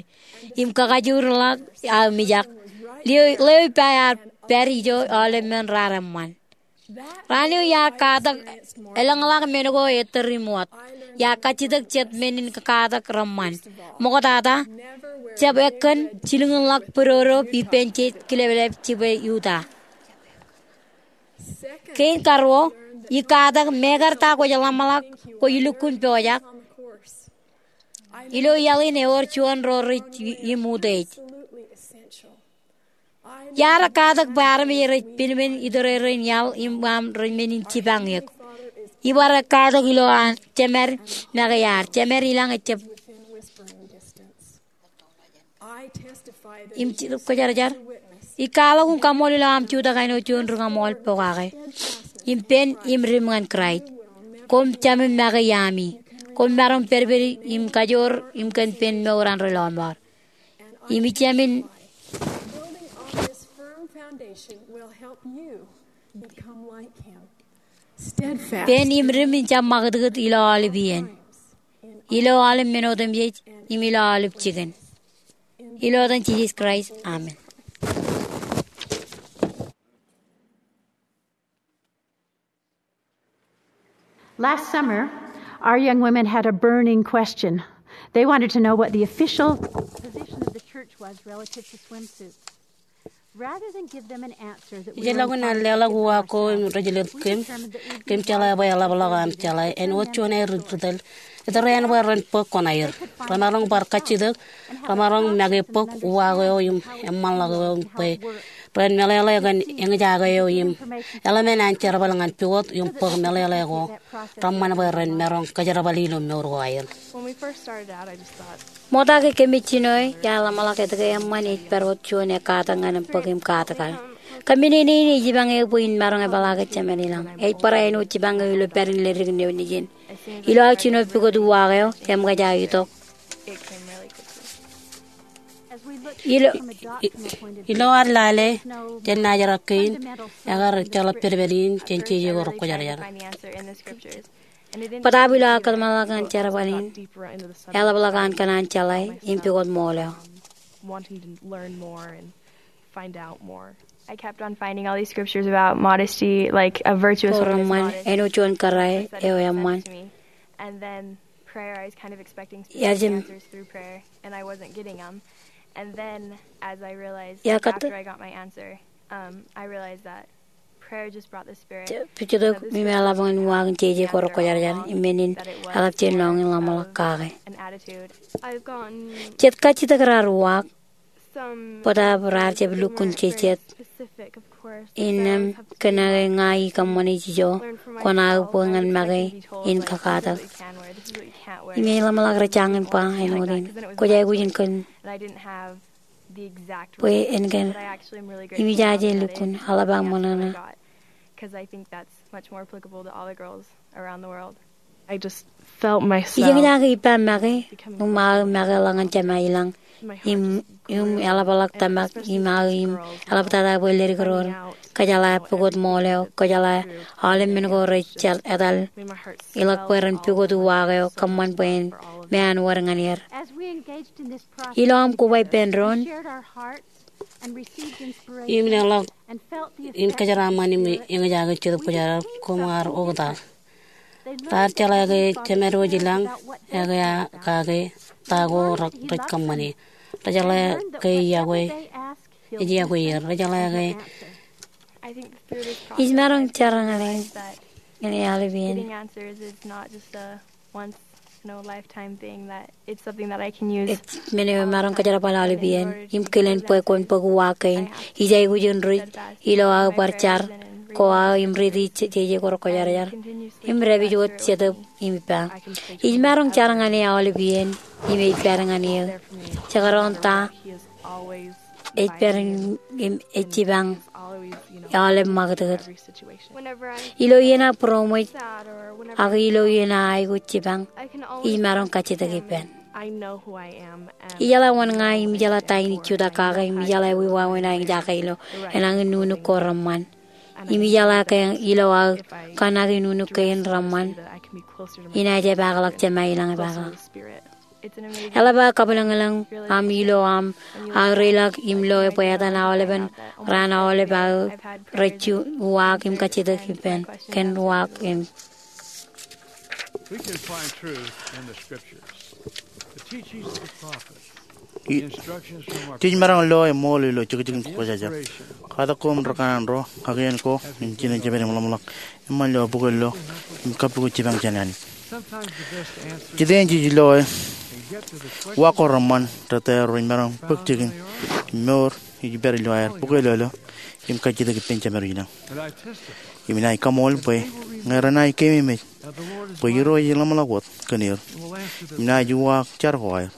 Im kakajoor ḷọk aō mijak. Lio, lio ippa ear pād ijo aolep men raar eṃṃan. Raan eo iar katak elōñḷọk men ko ettōr im wōt. Iar kajjitōk jet men in kakatak reṃṃan. Ṃoktata, jab ekkōn jilkinḷọk bōdobōd ippān jej kileplep jibwe Utah. Kein karuo, ij katak meekar ta kwōj ḷōmṇak kwōj lukkuun pojak. Ilo iaḷ in ewōr juon ro rej im utiej. Iar katak bwe armej rej pinpin itōrerein iaḷ im aṃ rej men in jipañ eok. Ibar katak ilo an jemād make iaar. Jemād ilañ ejjab im Jetōb Kwōjarjar. Ij kwaḷọk im kaṃṃoolol ilo aṃ jutak āinwōt juon rikaṃool pokake im pen im dim ñan Kraist. Koṃ jemād make iaami. Koṃ maroñ pedped im kajoor im kōn pen mour an ri lọmọọr. Im ij jemād pen im dim in jab ṃakūtkūt ilo aolep iien, ilo aolep men otemjej im ilo aolep jikin. Ilo etan Jisōs Kraist, amen. Last summer, our young women had a burning question. They wanted to know what the official position of the church was relative to swimsuits. Rather than give them an answer that we were inclined to give ourselves, Ijeḷọkin an leḷọk uwaak ko im rej jelōt kōm, kōm jeḷā bwe eḷapḷọk aṃ jeḷā āinwōt juon aer ri tōl. Etōr eṇ bwe ren bōk kuṇaer. Remaroñ bar kajjitōk, remaroñ make bōk uwaak eo im eṃṃanḷọk eo im bwe ren meḷeḷe kōn eñjake eo im eḷmen an jerbal ñan pukot im bōk meḷeḷe ko reṃṃan bwe ren maroñ kōjerbali ilo mour ko aer. Ṃokta ke kōmij jino e, iar ḷōmṇak etke eṃṃan ej pād wōt juon ekkatak ñan bōk im katak aer. Kōmij nene in ej jipañ eō bwe in maroñ epeḷaake jemād ilañ. Ej barāinwōt jipañ eō ilo pād in leddik in eo nejin. Ilo aō jino pukot uwaak eo, eṃōkaj aō itok. Ilo, i-, ilo ad lale jān naajrak kein, ekar jeḷā pedped in jān jeje ko rekwōjarjar. Bōtaab ilo aō kōtmānḷọkḷọk ñan jerbal in, eḷapḷọk an kōṇaan jeḷā im pukot ṃool eo. I kept on finding all these scriptures about modesty, like a virtuous woman is modest. Ko reṃṃan, āinwōt juon kōrā eo eṃṃan. And then prayer, I was kind of expecting spiritual answers through prayer, and I wasn't getting them. And then, as I realized, like, after I got my answer, um, I realized that prayer just brought the Spirit. Pejjitōk im eḷap ñan uwaak in jeje ko rekwōjarjar, im men in eḷap jān lọñiin ḷōmṇak kake. Jet kajjitōk raar uwaak, bōtaab raar jab lukkuun jejjet. Innām kōn aō ña ikōṃṃane jijo, kwōn aō bwe ñan make in kakatak. Im ej ḷōmṇak rej jañin ba āinwōt in. Kwōj aikuj in kōn bwe en kōn im ijaje lukkuun eḷap aō ṃōṇōṇō. Ij eñjake ippa make, im aō makeḷọk ñan Jema ilañ, im, im eḷapḷọk tōmak, im aō im eḷaptata bwe ledik ro ren kōjeḷā pukot ṃool eo, kōjeḷā aolep men ko rej jar etal, ilọk bwe ren pukot uwaak eo, kōṃṃan bwe en, me an wōr ñan er. Ilo aṃ koba ippān doon, im leḷọk im kōjeraaṃṃan im eñjake Jetōb Kwōjarjar, koṃ ar oktak. Raar jeḷā ke jemād wōj ilañ ekea kake ta ko rej kōṃṃane. Rejeḷā ke ej iọkwe, ej iọkwe er. Rejeḷā ke ij maroñ jar ñan e, ñan e aolep iien. Ej men eo emaroñ kōjerbal aolep iien, im kilen bwe kwōn bōk uwaak kein. Ij aikuj in ruj ilo aō bar jar ko aō im riiti jeje ko rekwōjarjar, im dāpij wōt Jetōb im ippa. Ij maroñ jar ñan e aolep iien, im ej pād ñan eō. Jekdọọn ta, ej pād im ej jipañ aolep ṃakūtkūt. Ilo iien aō būroṃōj, ak ilo iien aō aikuj jipañ, ij maroñ kajjitōk ippān. Ijeḷā wōn ña im ijeḷā ta in ij jutak kake im ijeḷā ewi wāween aō eñjake ilo enañin nuknuk ko reṃṃan. Im ijeḷā ke ilo aō kōṇaan nuknuk kein reṃṃan, inaaj epaakḷọk Jema ilañ epaakḷọk. Eḷap aō kabwilōñlōñ aṃ ilo aṃ aō reiḷọk im loe bwe etan aolepen raan aolep aō rej uwaak im kajjitōk ippān kōn uwaak im. We can find truth in the scriptures, the teachings of the prophets, the instructions from our Jej maroñ lo eṃool ilo jekjekin Kwōjarjar. Katak ko im ri kanaan ro, ak iien ko im jinen jemād im ḷōmṇak eṃṃan ilo bukwe lo im kappukot jipañ jān Anij. Sometimes the best answer Jete in jej loe uwaak ko reṃṃan, rōtā ro rej maroñ bōk jikin im mour ej pād ilo aer bukwe lolo im kajjitōk ippān Jemād ilañ. Im inaaj kaṃool bwe ñe renaaj keememej bwe Irooj ej ḷōmṇak wōt kōn er im naaj uwaak jar ko aer,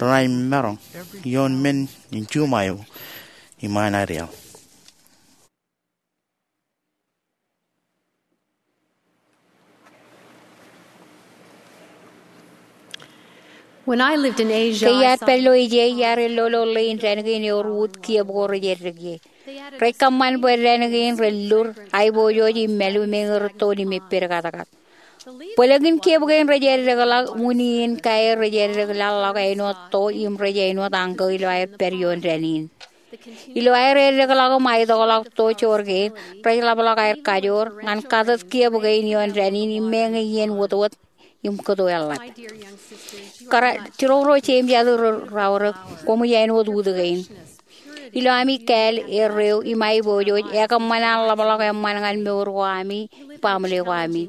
renaaj maroñ ioon men in juṃae eo im an aer iaḷ. When I lived in Asia, Ke iar pād ilo Eja, iar lolo ḷein dān kein ewōr wūt kiiō ko rej eddek ie. Rej kōṃṃan bwe dān kein rej lur, aiboojoj im mālu meñe rūttoon im eppād katkat. Bōlōkin kiiō kein rej eddekḷọk, unin kaer rej eddekḷọk āinwōt to im rej āinwōt añkō ilo aer pād ioon dān in. Ilo aer eddekḷọk im aetokḷọk to joor kein, rej ḷapḷọk aer kajoor ñan katōd kiiō kein ioon dān in im meñe iien wōtwōt im kōto eḷap. Kōrā, jiroñ ro jeiū im jatū ro raorōk, koṃij āinwōt wūt kein. Ilo ami kāāl, erreo im aiboojoj, ekōṃṃan an ḷapḷọk eṃṃan ñan mour ko ami im baaṃle ko ami.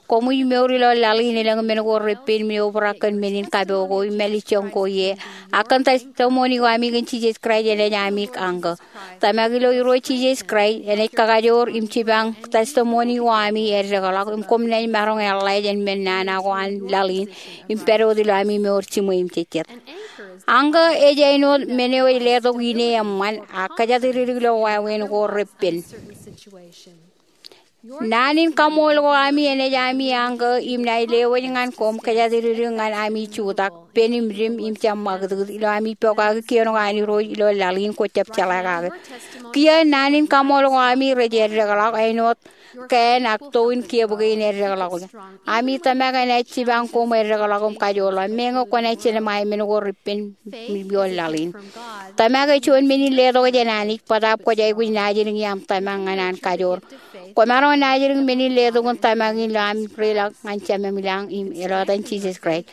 Koṃij mour ilo laḷ in elōñ men ko repen im eobrak kōn men in kapo ko im mālejjoñ ko ie, ak kōn testimony ko ami kōn Jisōs Kraist enaaj ami añkō. Tōmak ilo Irooj Jisōs Kraist enaaj kakajoor im jipañ testimony ko ami eddekḷọk im koṃ naaj maroñ eḷḷā jān men nana ko an laḷ in im pād wōt ilo ami mour jiṃwe im jejjet. Añkō ej āinwōt men eo ej letok ine eṃṃan ak kōjatdikdik ilo wāween ko repen. Naan in kaṃool ko ami enaaj ami añkō im naaj lewōj ñan koṃ kōjatdikdik ñan ami jutak, pen im dim im jab ṃakūtkūt ilo ami pokake kien ko an Irooj ilo laḷ in kwō jab jeḷā kake. Kiiō naan in kaṃool ko ami rej eddekḷọk āinwōt kāān ak to in kiiō kein eddekḷọk. Ami tōmak enaaj jipañ koṃ eddekḷọk im kajoor ḷọk meñe kwōnaaj jelṃae men ko repen ioon laḷ in. Tōmak ej juon men in letok jān Anij, bōtaab kwōj aikuj naajdik ie aṃ tōmak ñan an kajoor. Kwōmaroñ naajdik men in letok in tōmak in ilo aṃ reiḷọk ñan Jemem ilañ im ilo etan Jisōs Kraist.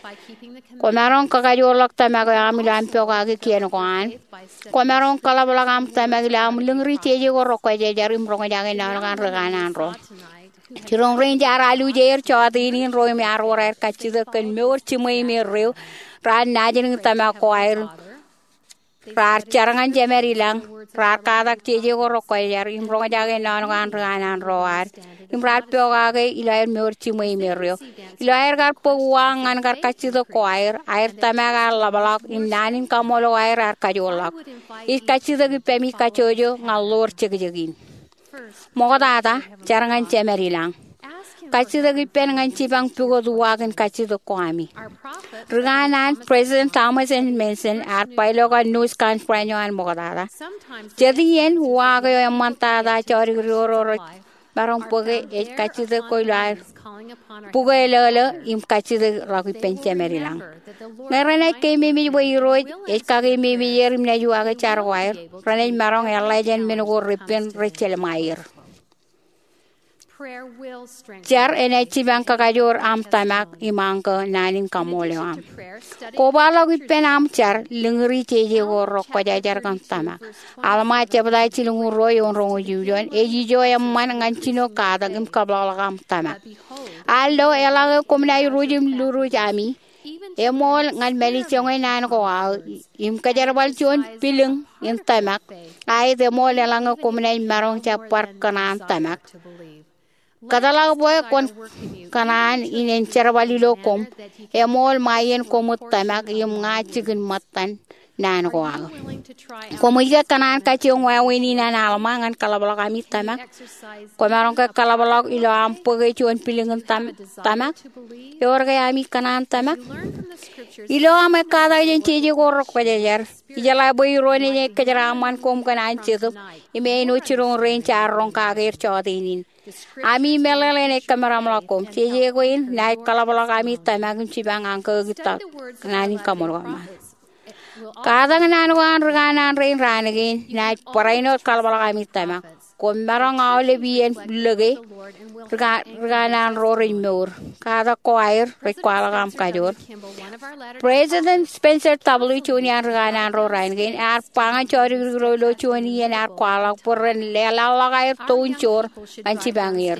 Kwōmaroñ kakajoorḷọk tōmak eo aṃ ilo aṃ pokake kien ko an. Kwōmaroñ kaḷapḷọk aṃ tōmak ilo aṃ lōñri jeje ko rekwōjarjar im roñjake naan ko an ri kanaan ro. Jiroñ rein jaar alwōj er jota in in ro im ear wōr aer kajjitōk kōn mour jiṃwe im erreo, raar naajdik tōmak ko aer. Raar jar ñan Jemād ilañ, raar katak jeje ko rekwōjarjar im roñjake naan ko an ri kanaan ro ad, im raar pokake ilo aer mour jiṃwe im erreo. Ilo aer kar bōk uwaak ñan kar kajjitōk ko aer, aer tōmak ear ḷapḷọk im naan in kaṃool ko aer ear kajoorḷọk. Ij kajjitōk ippaṃ kajjojo ñan ḷoor jekjek in. Ṃoktata, jar ñan Jemād ilañ. Kajjitōk ippān ñan jipañ pukot uwaak in kajjitōk ko ami. Ri kanaan President Thomas S. Monson ear ba ilo kanooj conference eo an ṃoktata, jet iien uwaak eo eṃṃantata jodikdik ro rej maroñ bōke ej kajjitōk ko ilo aer bukwe lolo im kajjitōk ḷọk ippān Jemād ilañ. Ñe renaaj keememej bwe Irooj ej kakeememej er im naaj uwaake jar ko aer, renaaj maroñ eḷḷā jān men ko repen rej jelṃae er. Jar enaaj jipañ kakajoor aṃ tōmak im añkō naan in kaṃool eo aṃ. Kobaḷọk ippān aṃ jar, lōñri jeje ko rekwōjarjar kōn tōmak. Alma jebta jilñuul ruo, eoon roñoul jimjuon, ej ijo eṃṃan ñan jino katak im kōpeḷḷọk aṃ tōmak. Al lo, eḷaññe koṃ naaj ruj im luruj ami, eṃool ñan mālejjoñe naan ko aō, im kōjerbal juon pilōñ in tōmak, aet eṃool eḷaññe koṃ naaj maroñ jab bar kōṇaan tōmak. Kōtḷọk bwe kwōn kōṇaan in en jerbal ilo koṃ, eṃool ṃae iien koṃwōj tōmak im ña jikin ṃōttan naan ko aō. Koṃij ke kōṇaan kajjioñ wāween in an Alma ñan kaḷapḷọk ami tōmak? Kwōmaroñ ke kaḷapḷọk ilo aṃ bōke juon pilñin tōm- tōmak? Ewōr ke ami kōṇaan tōmak? Ilo aṃ ekkatak jān jeje ko rekwōjarjar, ijeḷā bwe Irooj enaaj kōjeraaṃṃan koṃ kōn an Jetōb im āinwōt jiroñ rein jaar roñ kake er jọteen in. Ami meḷeḷe enaaj kōmeramḷọk koṃ. Jeje kein naaj kaḷapḷọk ami tōmak im jipañ ankōktak naan in kaṃṃoolol Ṃajeḷ. Katak naan ko an rikanaan rein raan kein naaj barāinwōt kaḷapḷọk ami tōmak. Koṃ maroñ aolep iien lōke. Rika- rikanaan ro rej mour. Katak ko aer rej kwaḷọk aṃ kajoor. President Spencer W. Johnson an rikanaan ro raan kein ear ba ñan jodikdik ro ilo juon iien ear kwaḷọk bwe ren leḷḷọk aer toon joor ñan jipañ er.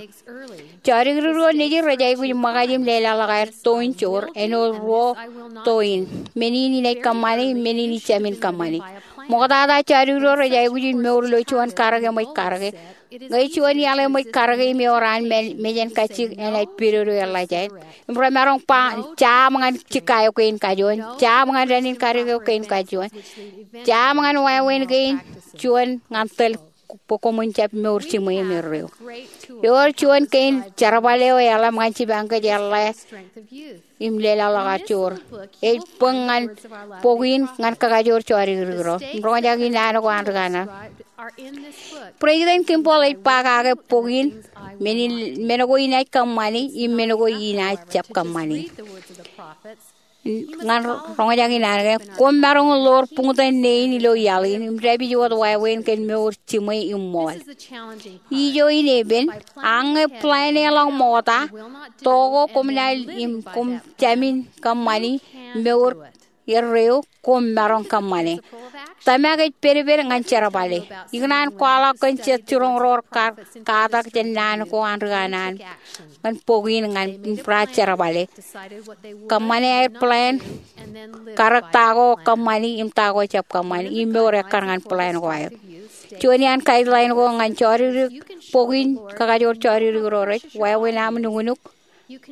Jodikdik ro nejid rej aikuj ṃōkaj im leḷḷọk aer toon joor āinwōt ruo toon, men in inaaj kōṃṃane, men in ijāmin kōṃṃane. Ṃoktata jodikdik ro rej aikuj in mour ilo juon karōk eṃōj karōke. Ñe juon iaḷ eṃōj karōke im ewōr an men- mejān kajjik, enaaj pidodo eḷḷācāer. Im remaroñ ba, jab ñan jikka eo kein kajuon, jab ñan dān in karōk eo kein kajuon, jab ñan wāween kein juon ñan tōl bwe koṃwin jab mour jiṃwe im erreo. Ewōr juon kein jerbal eo eḷap ñan jipañ kōj eḷḷā im leḷḷọk aer joor. Ej bōk ñan bok in ñan kakajoor jodikdik ro. Im roñjake naan ko an rikanaan. President Kimball ej ba kake bok in, men in, men ko inaaj kōṃṃane im men ko inaaj jab kōṃṃane. Ñan roñjake naan kein, koṃ maroñ ḷoor buñtōn nein ilo iaḷ in im dāpij wōt wāween kōn mour jiṃwe im ṃool. Ijo in epen, ak ñe plan e ḷọk ṃokta, to ko koṃ naaj im koṃ jāmin kōṃṃani mour erreo, koṃ maroñ kōṃṃane. Tōmak ej pedped ñan jerbale. Ikōṇaan kwaḷọk kōn jet jiroñ ro kar katak jān naan ko an rikanaan ñan bok in ñan raar jerbale. Kōṃṃane aer plan, karōk ta ko kōṃṃani im ta ko jab kōṃṃani, im mour ekkar ñan plan ko aer. Juon iaan guideline ko ñan jodikdik bok in kakajoor jodikdik ro rej, wāween aṃ nuknuk,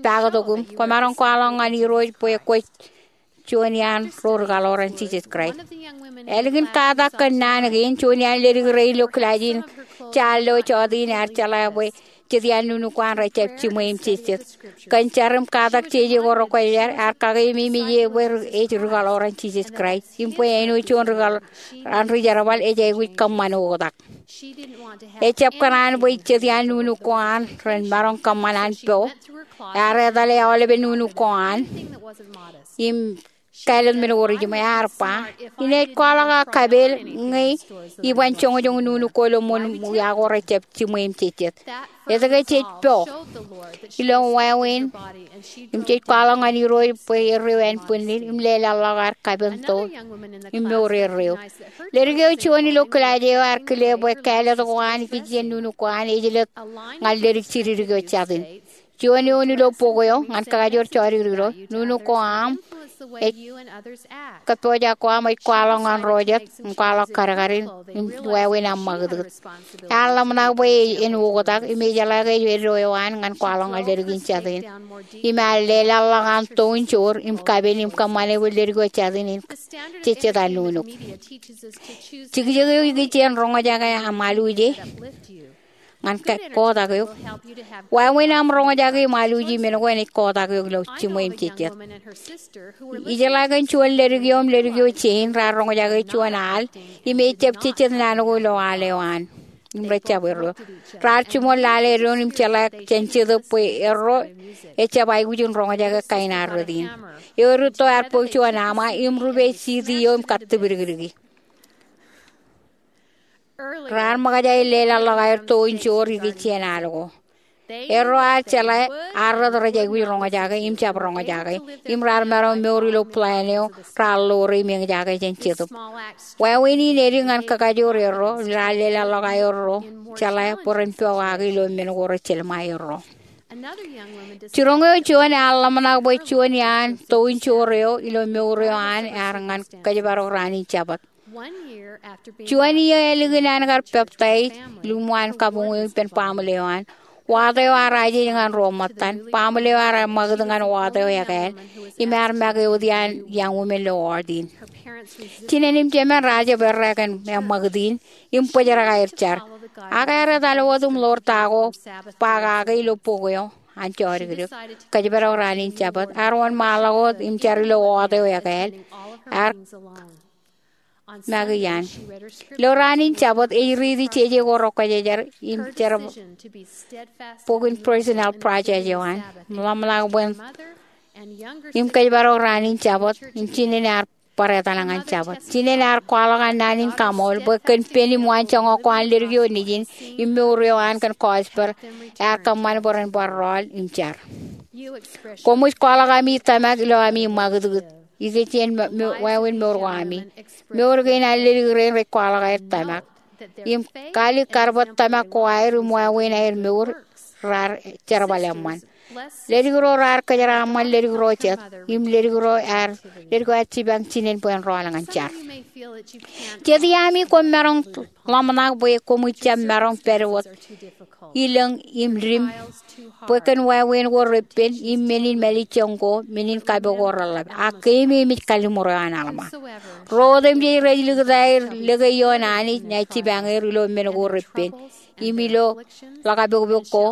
paktok im kwōmaroñ kwaḷọk ñan Irooj bwe kwōj juon iaan ro ri kaḷoran Jisōs Kraist. Ālikin katak kōn naan kein, juon iaan ledik rein ilo kilaaj in jaal eo jọteen ear jeḷā bwe jet iaan nuknuk ko an rejjab jiṃwe im jejjet. Kōn jar im katak jeje ko rekwōjarjar, ear kakeememej eō bwe ri- ej ri kaḷoran Jisōs Kraist im bwe āinwōt juon ri kaḷ- an ri jerbal ej aikuj kōṃṃan oktak. Ejjab kōṇaan bwe jet iaan nuknuk ko an ren maroñ kōṃṃan an po. Ear etale aolepen nuknuk ko an im kāālōt men ko rej jiṃwe. Ear ba, inaaj kwaḷọk aō kapeel ñe iban joñjoñ nuknuk ko ilo ṃōn wia ko rejjab jiṃwe im jejjet. Etke jej po? Ilo wāween im jej kwaḷọk ñan Irooj bwe erreo ānbwinnid im leḷḷọk aer kapen to im mour erreo. Ledik eo juon ilo kilaaj eo ear kile bwe kāālōt ko an ikijjien nuknuk ko an ej jelōt ñan ledik jidik eo jatin. Juon eoon ilo bok eo ñan kakajoor jodikdik ro, nuknuk ko aṃ ej kōppojak ko aṃ ej kwaḷọk ñan ro jet im kwaḷọk kadkadin im wāween aṃ ṃakūtkūt. Ear ḷōmṇak bwe en oktak im ejeḷā ke ej eddo eo an ñan kwaḷọk ñan ledik in jatin. Im ear leḷḷọk an toon joor im kapen im kōṃṃane bwe ledik eo jatin en jejjet an nuknuk. Jikjek eo ikijjien roñjake aṃ aluje ñan ke- kotak eok. Wāween aṃ roñjake im aluje men ko enaaj kotak eok ilo jiṃwe im jejjet. Ijeḷā kōn juon ledik eo im ledik eo jein raar roñjake juon al im ejjab jejjet naan ko ilo al eo an im rejjab erreo. Raar jiṃor lale doon im jeḷā jān Jetōb bwe erro ejjab aikuj in roñjake kain ad rot in. Eo rūtto ear bōk juon aṃa im rupe CD eo im kattipdikdiki. Raar ṃōkaj aer leḷḷọk aer toon joor ikijjien al ko. Erro ear jeḷā ad rot rej aikuj roñjake im jab roñjake im raar maroñ mour ilo plan eo raar ḷoore im eñjake jān Jetōb. Wāween in edik ñan kakajoor erro im raar leḷḷọk aerro jeḷā bwe ren pokake ilo men ko rej jelṃae erro. Jiroñ eo juon ear ḷōmṇak bwe juon iaan toon joor eo ilo mour eo an ear ñan kōjparok raan in Jabōt. Juon iiō ālikin an kar peptaij, lukkuun kabuñ eo ippān baaṃle eo an, wato eo ear ajej ñan ruo ṃōttan. Baaṃle eo ear ṃakūt ñan wato eo ekāāl im ear make wōt iaan young woman ilo ward in. Jinen im jemān raar jab errā kōn eṃṃakūt in im bōjrak aer jar. Ak ear etal wōt im ḷoor ta ko ba kake ilo bok eo an jodikdik, kōjparok raan in Jabōt. Ear wōnṃaanḷọk wōt im jar ilo wọọt eo ekāāl. Ear make iaan. Ilo raan in Jabōt ej riiti jeje ko rekwōjarjar im jerbal bok in Personal Project eo an. Ḷōmṇak bwe en im kōjparok raan in Jabōt im jinen ear bar etal ñan Jabōt. Jinen ear kwaḷọk an naan in kaṃool bwe kōn pen im waanjoñak ko an ledik eo nejin im mour eo an kōn gospel, ear kōṃṃan bwe ren bar rọọl im jar. Koṃij kwaḷọk ami tōmak ilo ami ṃakūtkūt ikijjien wāween mour ko ami. Mour kein an ledik rein rej kwaḷọk aer tōmak im kalikkar kar bwe tōmak ko aer im wāween aer mour raar jerbal eṃṃan. Ledik ro raar kōjeraaṃṃan ledik ro jet, im ledik ro ear, ledik ro ear jipañ jinen bwe en rọọl ñan jar. Jet iaami koṃ maroñ ḷōmṇak bwe koṃij jab maroñ pād wōt ilōñ im dim bwe kōn wāween ko reppen im men in mālejjoñ ko, men in kapo ko reḷḷap. Ak keememej kalliṃur eo an Alma. Ro otemjej rej likūt aer lōke ioon Anij ña ij jipañ er ilo men ko reppen im ilo ḷakapokpok ko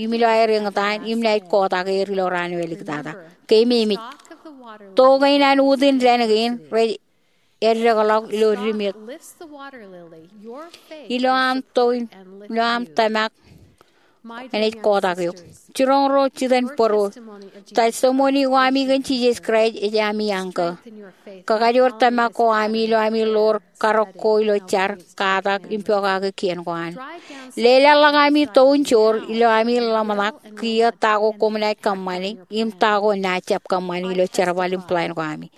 im ilo aer eñtaan im ña ij kotak er ilo raan eo eliktata. Keememej. To kein an utin dān kein rej eddekḷọk ilo dim eo. Ilo aṃ to, ilo aṃ tōmak enaaj kotak eok. Jiroñ ro jitōnbōro. Testimony ko ami kōn Jisōs Kraist ej ami anchor. Kakajoor tōmak ko ami ilo ami ḷoor karōk ko ilo jar, katak im pokake kien ko an. Leḷọk ami tounjoor ilo ami ḷōmṇak kiiō ta ko koṃ naaj kōṃṃani im ta ko naaj jab kōṃṃani ilo jerbal im plan ko ami.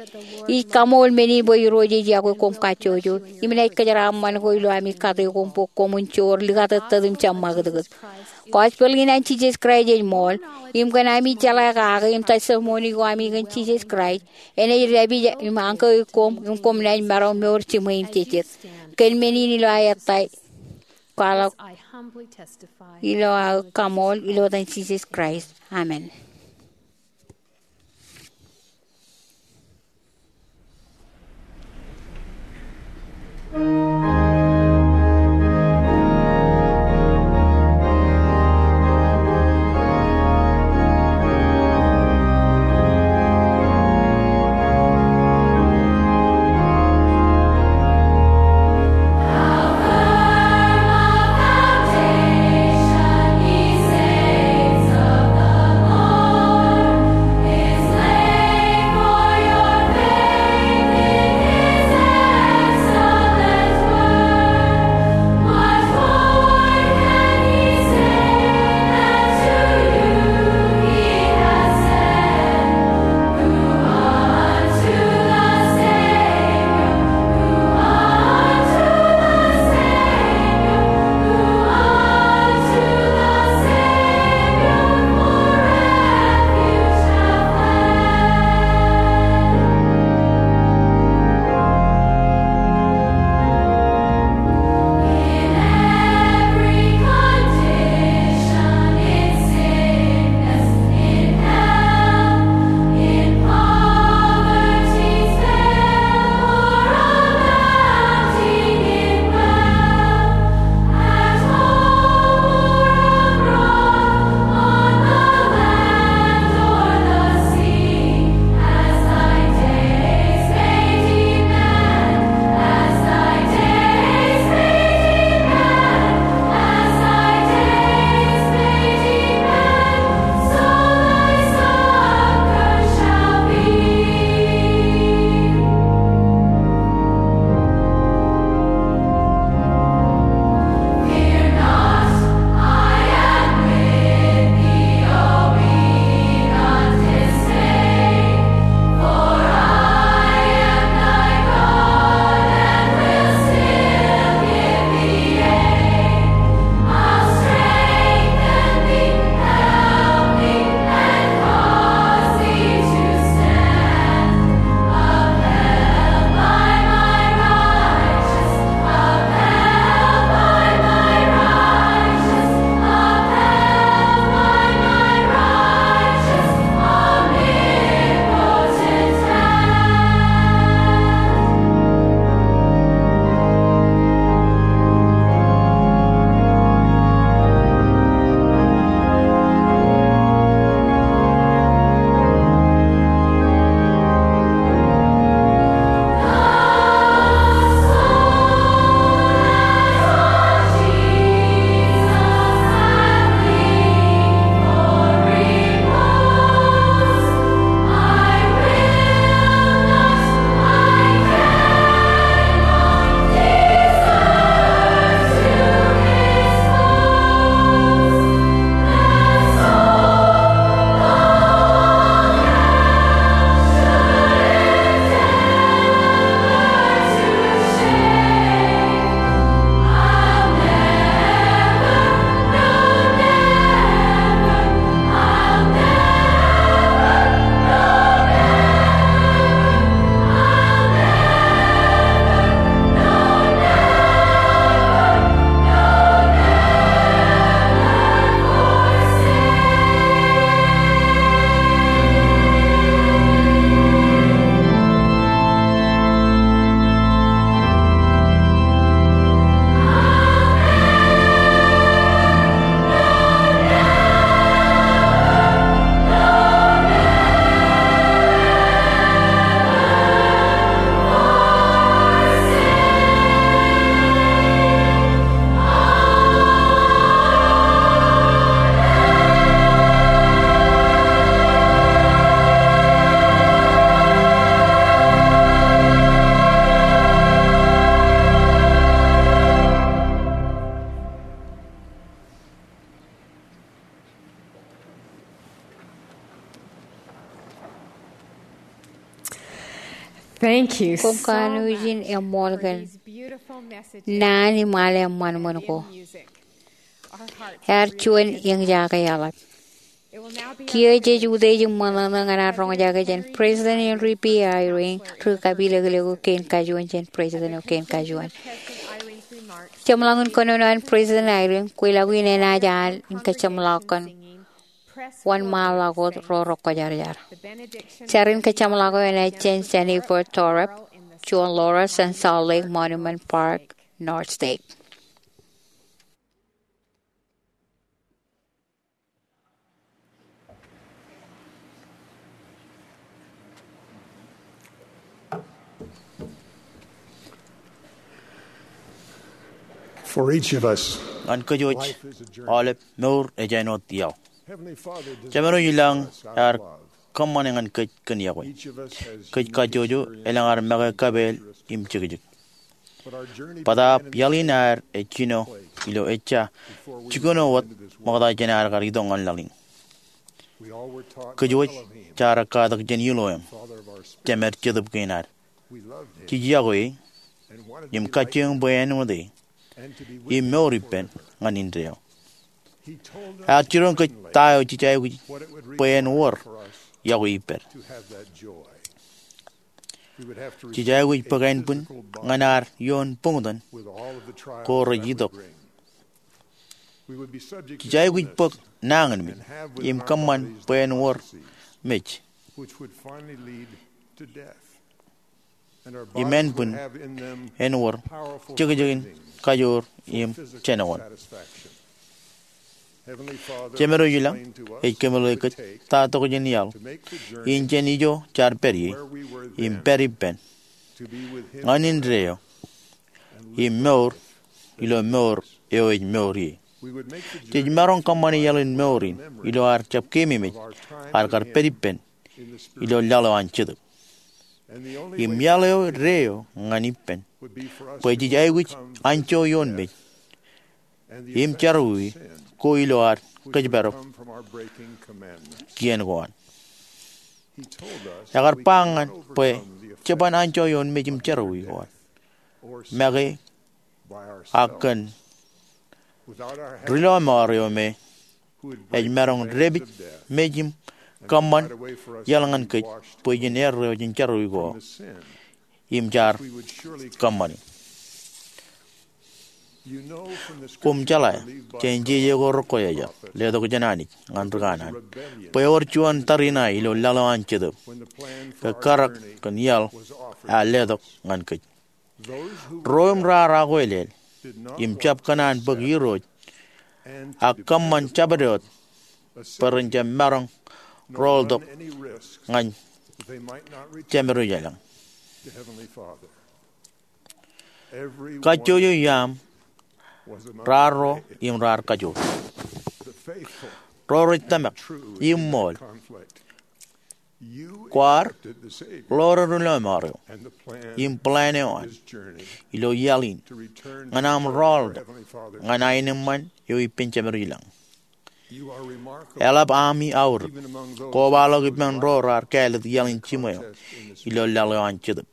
Ij kaṃool men in bwe Irooj ej yokwe koṃ kajjojo im naaj kōjeraaṃṃan ko ilo ami kate koṃ bwe koṃwin joor likatōttōt im jab ṃakūtkūt. Gospel in an Jisōs Kraist ej ṃool, im kōn ami jeḷā kake im testimony ko ami kōn Jisōs Kraist enaaj dāpij im anchor koṃ im koṃ naaj maroñ mour jiṃwe im jejjet. Kōn men in ilo aō ettā kwaḷọk ilo aō kaṃool ilo etan Jisōs Kraist. Amen. Thank you. Koṃ kanooj in eṃṃool kōn naan im al eṃṃan ṃōn ko. Ear juon eñjake eḷap. Kiiō jej utiej im ṃōṇōṇō ñan ad roñjake jān President Henry B. Eyring ri kapilōklōk eo kein kajuon jān president eo kein kajuon. Jeṃḷọkin kōnono an President Eyring, kweilọk in enaaj al in kōjeṃḷọk kōn wōnṃaanḷọk wōt ro rekwōjarjar. Jar in kōjeṃḷọk eo enaaj jān Jennifer Torup, juon Laurel jān Salt Lake Monument Park, North State. For each of us, ñan kōj wōj, life is a journey. Aolep mour ej āinwōt iaḷ. Heavenly Father desires Jemedwōj ilañ us ear love. Kōṃṃane ñan kōj kōn iọkwe. Each of us has kōj kajjojo elōñ ad make kapeel im jekjek. Bōtaab iaḷ in ad ej jino ilo ejja jikuṇo wōt ṃokta jān ad kar itok ñan laḷ in. Kōj wōj jaar katak jān Iloim, Jemed Jetōb kein ad. Jej iọkwe e im kajjioñ bwe en wōt e im mour ippān ñan indeeo. Ear jiroñ kōj ta eo jej aikuj bwe en wōr iọkwe ippād. Jej aikuj bōk ānbwin ñan ad ioon buñtōn ko rej itok. Jej aikuj bōk nañinmej im kōṃṃan bwe en wōr mej im ānbwin en wōr jekjekin kajoor im jenoñoul. Jemedwōj ilañ ej kōmeḷeḷe kōj ta tokjān iaḷ in jān ijo jaar pād ie im pād ippān ñan indeeo im mour ilo mour eo ej mour ie. Jej maroñ kōṃṃane iaḷ in mour in ilo ad jab keememej ad kar pād ippān ilo laḷ eo an Jetōb. Im iaḷ eo deeo ñan ippān bwe jej aikuj anjọ ioon mej im jerọwiwi ko ilo ad kōjparok kien ko an. Ekar ba ñan bwe jeban anjọ ioon mej im jerọwiwi ko an make ak kōn ri lọmọọr eo me ej maroñ dāpij mej im kōṃṃan iaḷ ñan kōj bwe jen erreo jān jerọwiwi ko im jaar kōṃṃane. Koṃ jeḷā jān jeje ko rekwaḷọk letok jān Anij ñan ri kanaan bwe ewōr juon tariṇae ilo laḷ eo an Jetōb ke karōk kōn iaḷ ear letok ñan kōj. Ro im raar akwelel im jab kōṇaan bōk irooj ak kōṃṃan jabdewōt bwe ren jab maroñ rooltok ñan Jemedwōj ilañ. Kajjojo iaaṃ raar ro im raar kajoor. Ro rej tōmak im ṃool. Kwaar ḷoore ri lọmọọr eo im plan eo an ilo iaḷ in ñan aṃ rooltok ñan aenōṃṃan eo ippān Jemedwōj ilañ. Eḷap ami aorōk kobaḷọk ippān ro raar kāālōt iaḷ in jiṃwe eo ilo laḷ eo an Jetōb.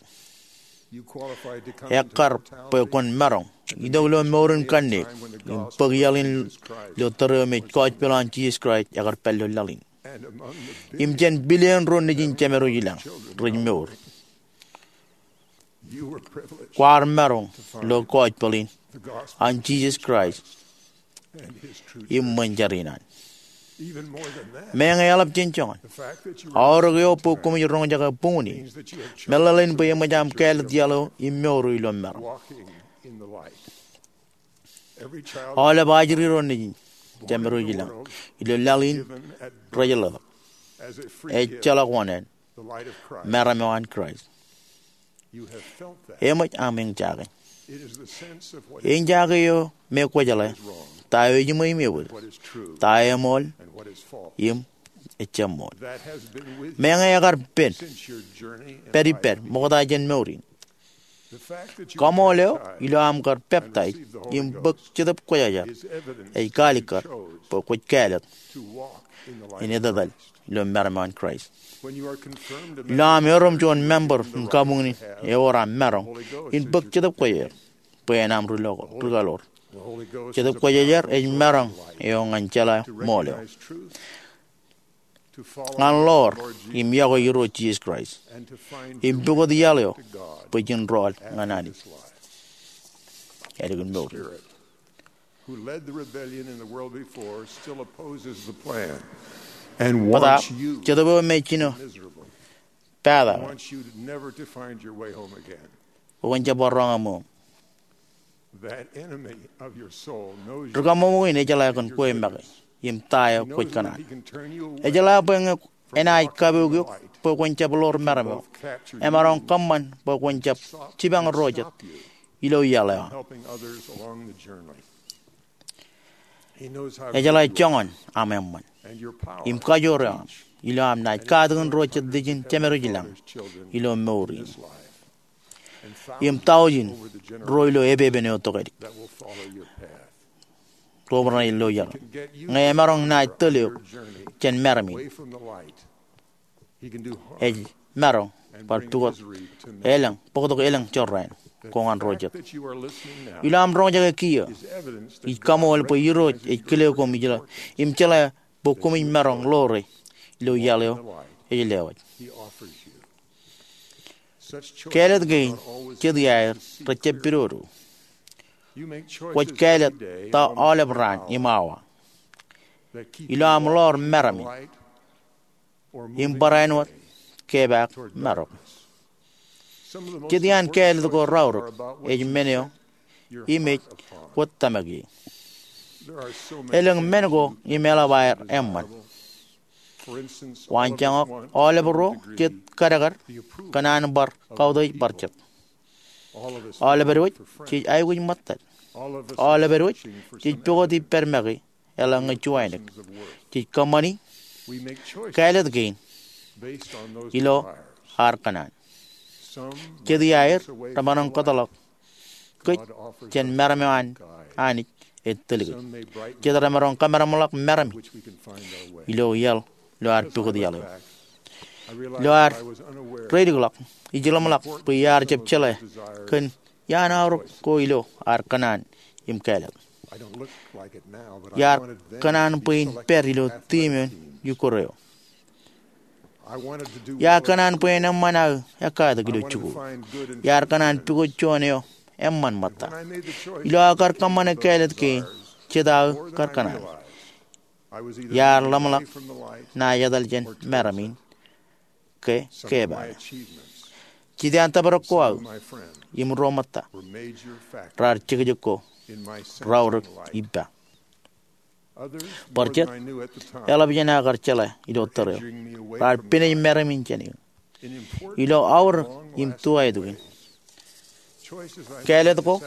Ekkar bwe kwōn maroñ itok ilo mour in kanniōk im bōk iaḷ in ilo tōre eo me kọjpel an Jisōs Kraist ekar pād ilo laḷ in im jān billion ro nejin Jemedwōj ilañ rej mour. Kwaar maroñ lo kọjpel in an Jisōs Kraist im ṃōn jar in an. Meñe eḷap jān joñan, aorōk eo bwe koṃij roñjake buñūn in meḷeḷein bwe eṃōj aṃ kāālōt iaḷ eo im mour eo ilo maroñ. Aolep ajri ro nejin Jemedwōj ilañ ilo laḷ in rej ḷotak, ejjeḷọk oṇāān, meram eo an Kraist. Eṃōj aṃ eñjake. Eñjake eo me kwōjeḷā ta eo ejiṃwe im ewōr, ta eo eṃool im ejjab ṃool. Meñe ekar pen pād ippād ṃokta jān mour in, Kaṃool eo ilo aṃ kar peptaij im bōk Jetōb Kwōjarjar ej kaalikkar bwe kwōj kāālōt in etetal ilo maroñ in Kraist. Ilo aṃ erom juon member in kabuñ in ewōr aṃ maroñ in bōk Jetōb Kwōjarjar bwe en aṃ rūkaḷoor. Jetōb Kwōjarjar ej maroñ eo ñan jeḷā ṃool eo, ñan ḷoor im yokwe Irooj Jisōs Kraist, im pukot iaḷ eo bwe jen rọọl ñan Anij. Ālikin mour. Bōtaab, Jetōb eo me jino pata bwe kwōn jab bar roñ aṃ ṃoom. Ri-kaṃṃoolol in ejeḷā kōn kwe make im ta eo kwōj kōṇaan. Ejeḷā bwe ñe enaaj kapook eok bwe kwōn jab ḷoor meram eo, emaroñ kōṃṃan bwe kwōn jab jipañ ro jet ilo iaḷ eo aṃ. Ejeḷā joñan aṃ eṃṃan im kajoor eo aṃ ilo aṃ naaj katakin ro jet lijin Jemedwōj ilañ ilo mour in, im taujin ro ilo epepen eo tokālik ro bar naaj lo iaḷ. Ñe emaroñ naaj tōl eok jān meram in, ej maroñ bar pukot elōñ, bōktok elōñ jorrāān ko ñan ro jet. Ilo aṃ roñjake kiiō, ij kaṃool bwe Irooj ej kile koṃ ilo im jeḷā bwe koṃij maroñ ḷoore ilo iaḷ eo ej lewōj. Kāālōt kein jet iaer rej jab pidodo. Kwōj kāālōt ta aolep raan im awa ilo aṃ ḷoor meram in im barāinwōt kepaak marok. Jet iaan kāālōt ko raorōk ej men eo im ej kwōj tōmak ie. Elōñ men ko im eḷap aer eṃṃan. Waanjoñak, aolep ro jet kadkad kōn an bar kautiej bar jet. Aolep edwōj jej aikuj ṃōttad. Aolep edwōj jej pukot ippād make eḷaññe juwainōk. Jej kōṃṃani kāālōt kein ilo ad kōṇaan. Jet iaer remaroñ kōtḷọk kōj jān meram eo an Anij ej tōl kōj. Jet remaroñ kōmeramḷọk meram in ilo iaḷ, ilo ad pukot iaḷ eo. Ilo ad reilikḷọk, ij ḷōmṇak bwe iar jab jeḷā kōn iaan aorōk ko ilo ad kōṇaan im kāālōt. Iar kōṇaan bwe in pād ilo tiemon iukwōr eo. Iar kōṇaan bwe en eṃṃan aō ekkatak ilo jikuuḷ. Iar kōṇaan pukot juon eo eṃṃan ṃōtta. Ilo aō kar kōṃṃane kāālōt kein jet aō kar kōṇaan, iar ḷōmṇak naaj etal jān meram in ke kepaak. Jet iaan tōprak ko aō im ro ṃōtta raar jekjek ko raorōk ippa. Bar jet, eḷap jān aō kar jeḷā ilo tōre eo, raar pinej meram in jān eō. Ilo aorōk im tuwaetōk in, kāālōt ko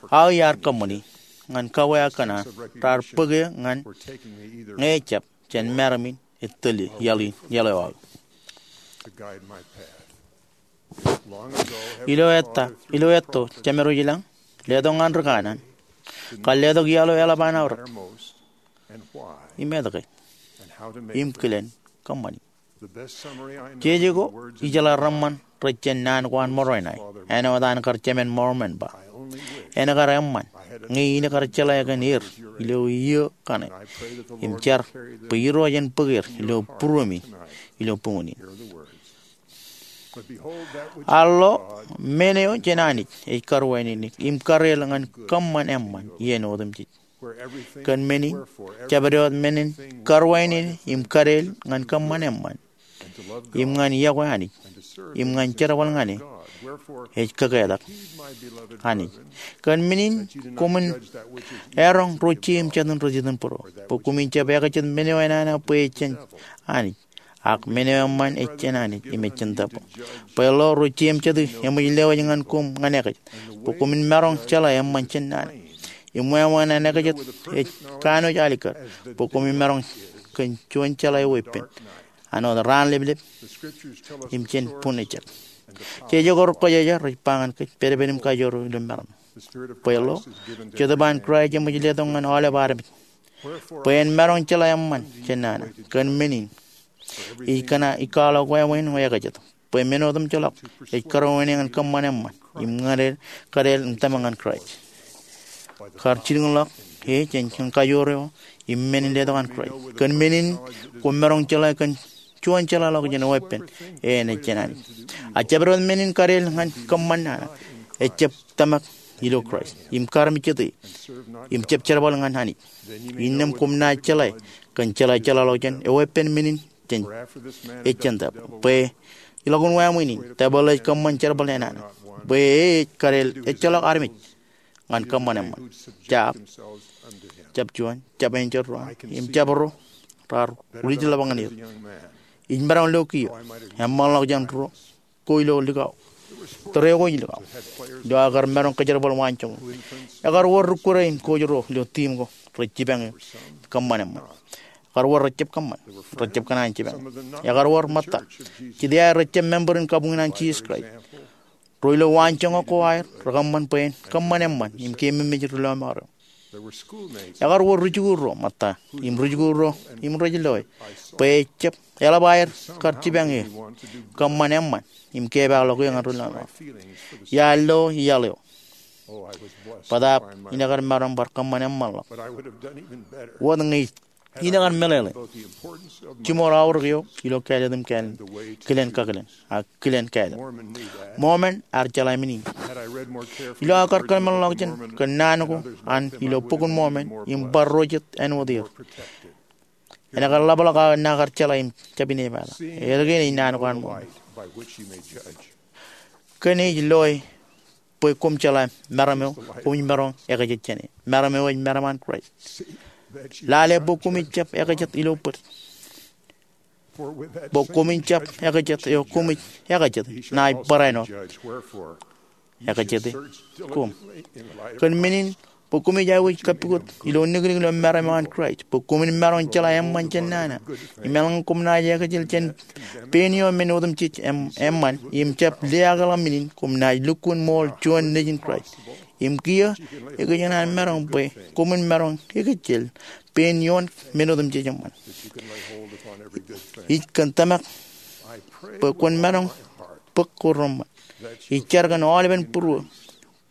aō iar kōṃṃani ñan kawe aō kōṇaan raar bōk eō ñan ñe ejjab jān meram in ej tōl iaḷ in, iaḷ eo aō. Ilo ettā, ilo etto, Jemedwōj ilañ letok ñan ri kanaan kar letok iaḷ eo eḷap an aorōk im etke im kilen kōṃṃani. Jeje ko ijeḷā reṃṃan rej jān naan ko an Moroinai, āinwōt an kar Jemān Mōrmon ba, en kar eṃṃan ñe in kar jeḷā kōn er ilo iiō kaṇe, im jar bwe Irooj en bōk er ilo būruemi ilo buñūn in. Al lo, men eo jān Anij ej karuwainene im kareel ñan kōṃṃan eṃṃan iien otemjej. Kōn men in, jabdewōt men in karuwainene im kareel ñan kōṃṃan eṃṃan im ñan iọkwe Anij im ñan jerbal ñan e ej kōketak Anij. Kōn men in koṃwin eroñ ro jeiū im jatū in ri-jitōnbōro, bwe koṃwin jab ekajet men eo enana bwe ejān Anij, ak men eo eṃṃan ejān Anij im ejān tōprak. Bwe lo ro jeiū im jatū eṃōj lewōj ñan koṃ ñan ekajet, bwe koṃwin maroñ jeḷā eṃṃan jān nana. Im wāween an ekajet ej kanooj alikkar bwe koṃwin maroñ kōn juon jeḷā eweeppān, āinwōt raan leplep im jān bun ejjab. Jeje ko rekwōjarjar ej ba ñan kōj, pedped im kajoor ilo meram. Bwe lo, Jetōb an Kraist eṃōj letok ñan aolep armej, bwe en maroñ jeḷā eṃṃan jān nana. Kōn men in, ij kōṇaan, ij kwaḷọk wāween eo ekajet, bwe men otemjeḷọk ej karuwainene ñan kōṃṃan eṃṃan im ñan kadeḷ im tōmak ñan Kraist. Kar jilkinḷọk e jān kajoor eo im men in letok an Kraist. Kōn men in, kwō maroñ jeḷā kōn juon jeḷāḷọkjeṇ weeppān eṇ ej jān Anij. A jabdewōt men in kadeḷ ñan kōṃṃan nana, ejjab tōmak ilo Kraist im kar mijjete, im jab jerbal ñan Anij. Innām kwōm naaj jeḷā kōn jeḷā jeḷāḷọkjeṇ eweeppān men in jān, ej jān tōprak. Bwe ilọk in wāween in, tōprak ej kōṃṃan jerbal enana, bwe e ej kadeḷ ejjeḷọk armej ñan kōṃṃan eṃṃan. Jab, jab juon, jab enjeḷ ro an, im jab ro raar rijḷọk ñan er. Ij maroñ lo kiiō, eṃṃanḷọk jān ro ko ilo likao, tōre ko ej likao, ilo aō kar maroñ kōjerbal waanjoñak. Ekar wōr ri-kure in coach ro ilo team ko rej jipañ e kōṃṃan eṃṃan. Ekar wōr rejjab kōṃṃan, rejjab kōṇaan jipañ e. Ekar wōr ṃōtta, jet iaer rejjab member in kabuñ in an Jisōs Kraist. Ro ilo waanjoñak ko aer rekōṃṃan bwe en kōṃṃan eṃṃan im keememej ri-lọmọọr eo. Ekar wōr rijikuuḷ ro ṃōtta im rijikuuḷ ro im rej loe bwe ejjab eḷap aer kar jipañ e kōṃṃan eṃṃan im kepaakḷọk e ñan ri-lọmọọr. Iar lo iaḷ eo, bōtaab inekar maroñ bar kōṃṃan eṃṃanḷọk wōt ñe ij inekar meḷeḷe jiṃor aorōk eo ilo kāālōt im kilen kakilen, a kilen kāālōt. Mormon ear jeḷā men in. Ilo aō kar kōḷmānḷọkjeṇ kōn naan ko an ilo Bok in Mormon im bar ro jet āinwōt er, enekar ḷapḷọk aō naan kar jeḷā im jab inepata. Etke ej naan ko an Mormon? Kōn ej loe bwe koṃ jeḷā meram eo koṃij maroñ ekajet jān e. Meram eo ej meram an Kraist. Lale bwe koṃij jab ekajet ilo bōd. Bwe koṃij jab ekajet eo koṃij ekajet, ṇae barāinwōt ekajete koṃ. Kōn men in, bwe koṃij aikuj kappukot ilo niknik ilo meram eo an Kraist, bwe koṃwin maroñ jeḷā eṃṃan jān nana, im eḷaññe koṃ naaj ekajet jān pein ioon men otemjej eṃ-, eṃṃan, im jab liaakḷọk men in, koṃ naaj lukkuun ṃool juon nejin Kraist. Im kiiō, ekōjkan an maroñ bwe koṃwin maroñ ekajet pein ioon men otemjej eṃṃan. Ij kōn tōmak bwe kwōn maroñ bōk ko reṃṃan. Ij jar kōn aolepen būruō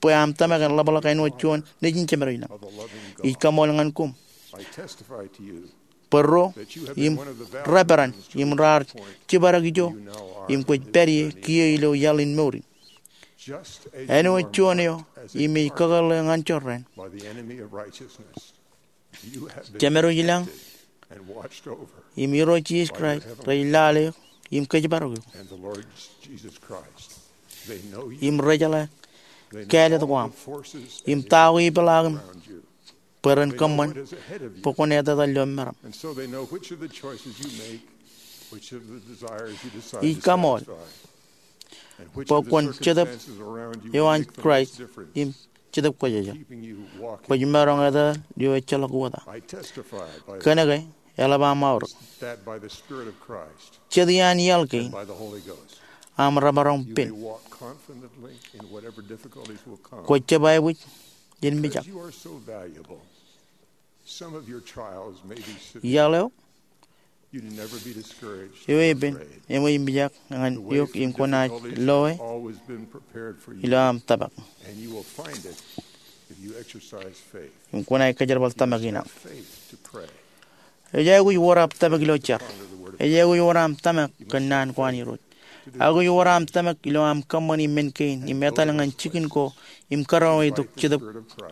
bwe aṃ tōmak en ḷapḷọk āinwōt juon nejin Jemedwōj lañ. Ij kaṃool ñan koṃ bwe ro im rej peran im raar jibadek ijo im kwōj pād ie kiiō ilo iaḷ in mour in. Āinwōt juon eo im ej kakōḷḷe ñan jorrāān, Jemedwōj lañ im Irooj Jisōs Kraist rej lale eok im kōjparok eok. Im rej jeḷā kāālōt ko aṃ im ta ko ipeḷaakim bwe ren kōṃṃan bwe kwōn etetal ilo meram. Ij kaṃool bwe kwōn Jetōb eo an Kraist im Jetōb Kwōjarjar. Kwōj maroñ etetal eo ejjeḷọk wōt aō. Kōnke eḷap aṃ aorōk, jet iaan iaḷ kein aṃ remaroñ pen. Kwōj jab aikuj in mijak. Iaḷ eo, eo epen eṃōj mijak ñan eok im kwōnaaj loe ilo aṃ tōmak. Im kwōnaaj kōjerbal tōmak in aṃ. Ej aikuj wōr aṃ tōmak ilo jar. Ej aikuj wōr aṃ tōmak kōn naan ko an Irooj. Aikuj wōr aṃ tōmak ilo aṃ kōṃṃani men kein im etal ñan jikin ko im karuwaitok Jetōb,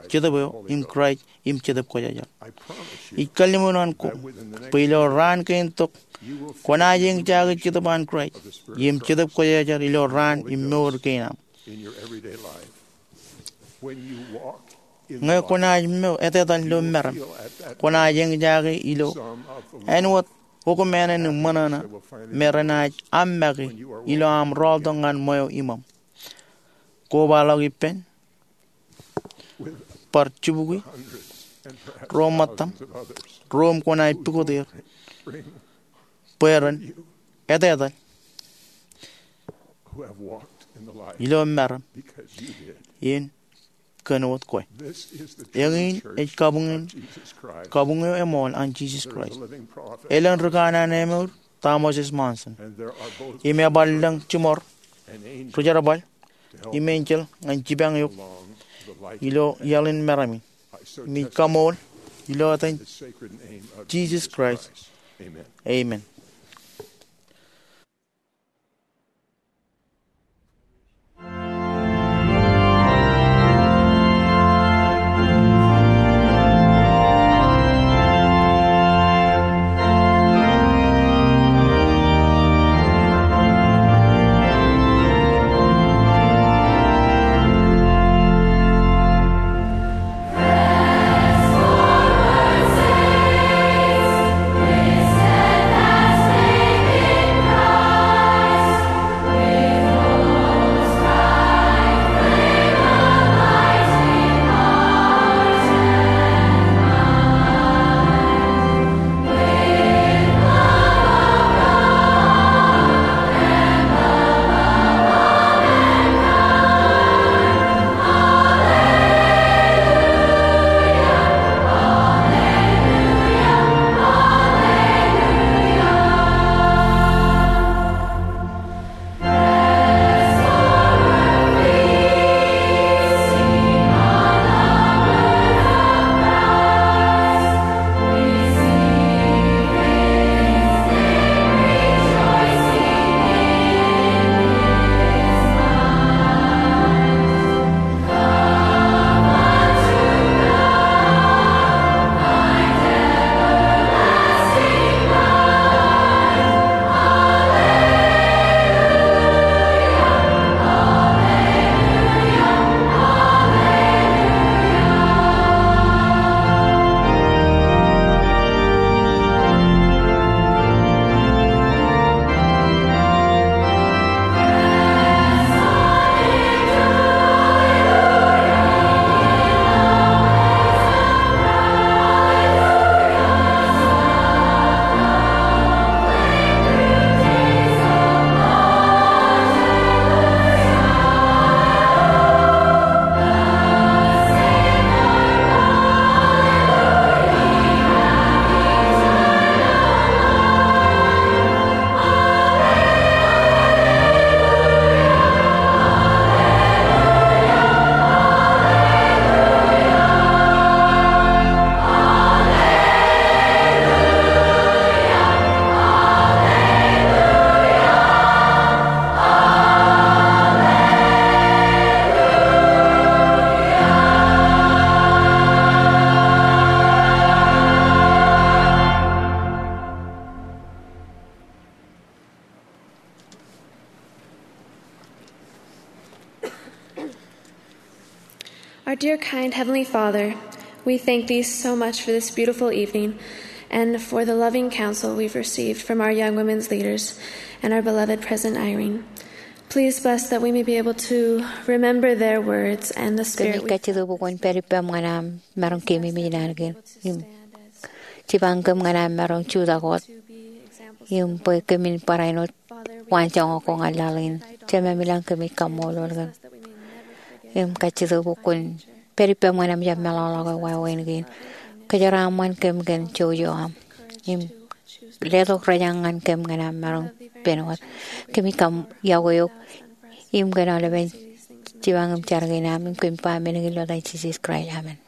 Jetōb eo im Kraist im Jetōb Kwōjarjar. Ij kalliṃur ñan koṃ bwe ilo raan kein tok kwōnaaj eñjake Jetōb an Kraist im Jetōb Kwōjarjar ilo raan im mour kein aṃ. Ñe kwōnaaj mour etetal ilo meram, kwōnaaj eñjake ilo āinwōt okumānen im ṃōṇōṇō me renaaj aṃ make ilo aṃ rọọltok ñan ṃweo iṃōṃ. Kobaḷọk ippān, bar jibukwi ro ṃōttaṃ, ro im kwōnaaj pukot er bwe ren etetal ilo meram, in kōn wōt kwe. Eñin ej kabuñ, kabuñ eo eṃool an Jisōs Kraist. Elōñ ri kanaan emour, Thomas S. Monson. Im ebar lōñ jiṃor ri jerbal im enjeḷ ñan jipañ eok ilo iaḷ in meram in. Im ij kaṃool ilo etan Jisōs Kraist. Amen. Our dear, kind Heavenly Father, we thank thee so much for this beautiful evening and for the loving counsel we've received from our young women's leaders and our beloved President Eyring. Please bless that we may be able to remember their words and the Spirit. Kōmij kajjitōk bwe kwōn pād ippaṃ ñan aṃ maroñ keememej naan kein im jipañ kōm ñan aṃ maroñ jutak wōt im bwe kōmin barāinwōt waanjoñak ko ñan laḷ in. Jemem ilañ, kōmij kaṃṃoolol kōm im kajjitōk bwe kwōn pād ippaṃ ñan aṃ jab meḷọkḷọk eo wāween kein. Kōjeraaṃṃan kōm kōn jouj eo aṃ im letok rejañ ñan kōm ñan aṃ maroñ pen wōt. Kōmij kaṃ, yokwe eok im kōn aolepen jipañ im jar kein aṃ im kōmij ba men kein ilo etan Jisōs Kraist, amen.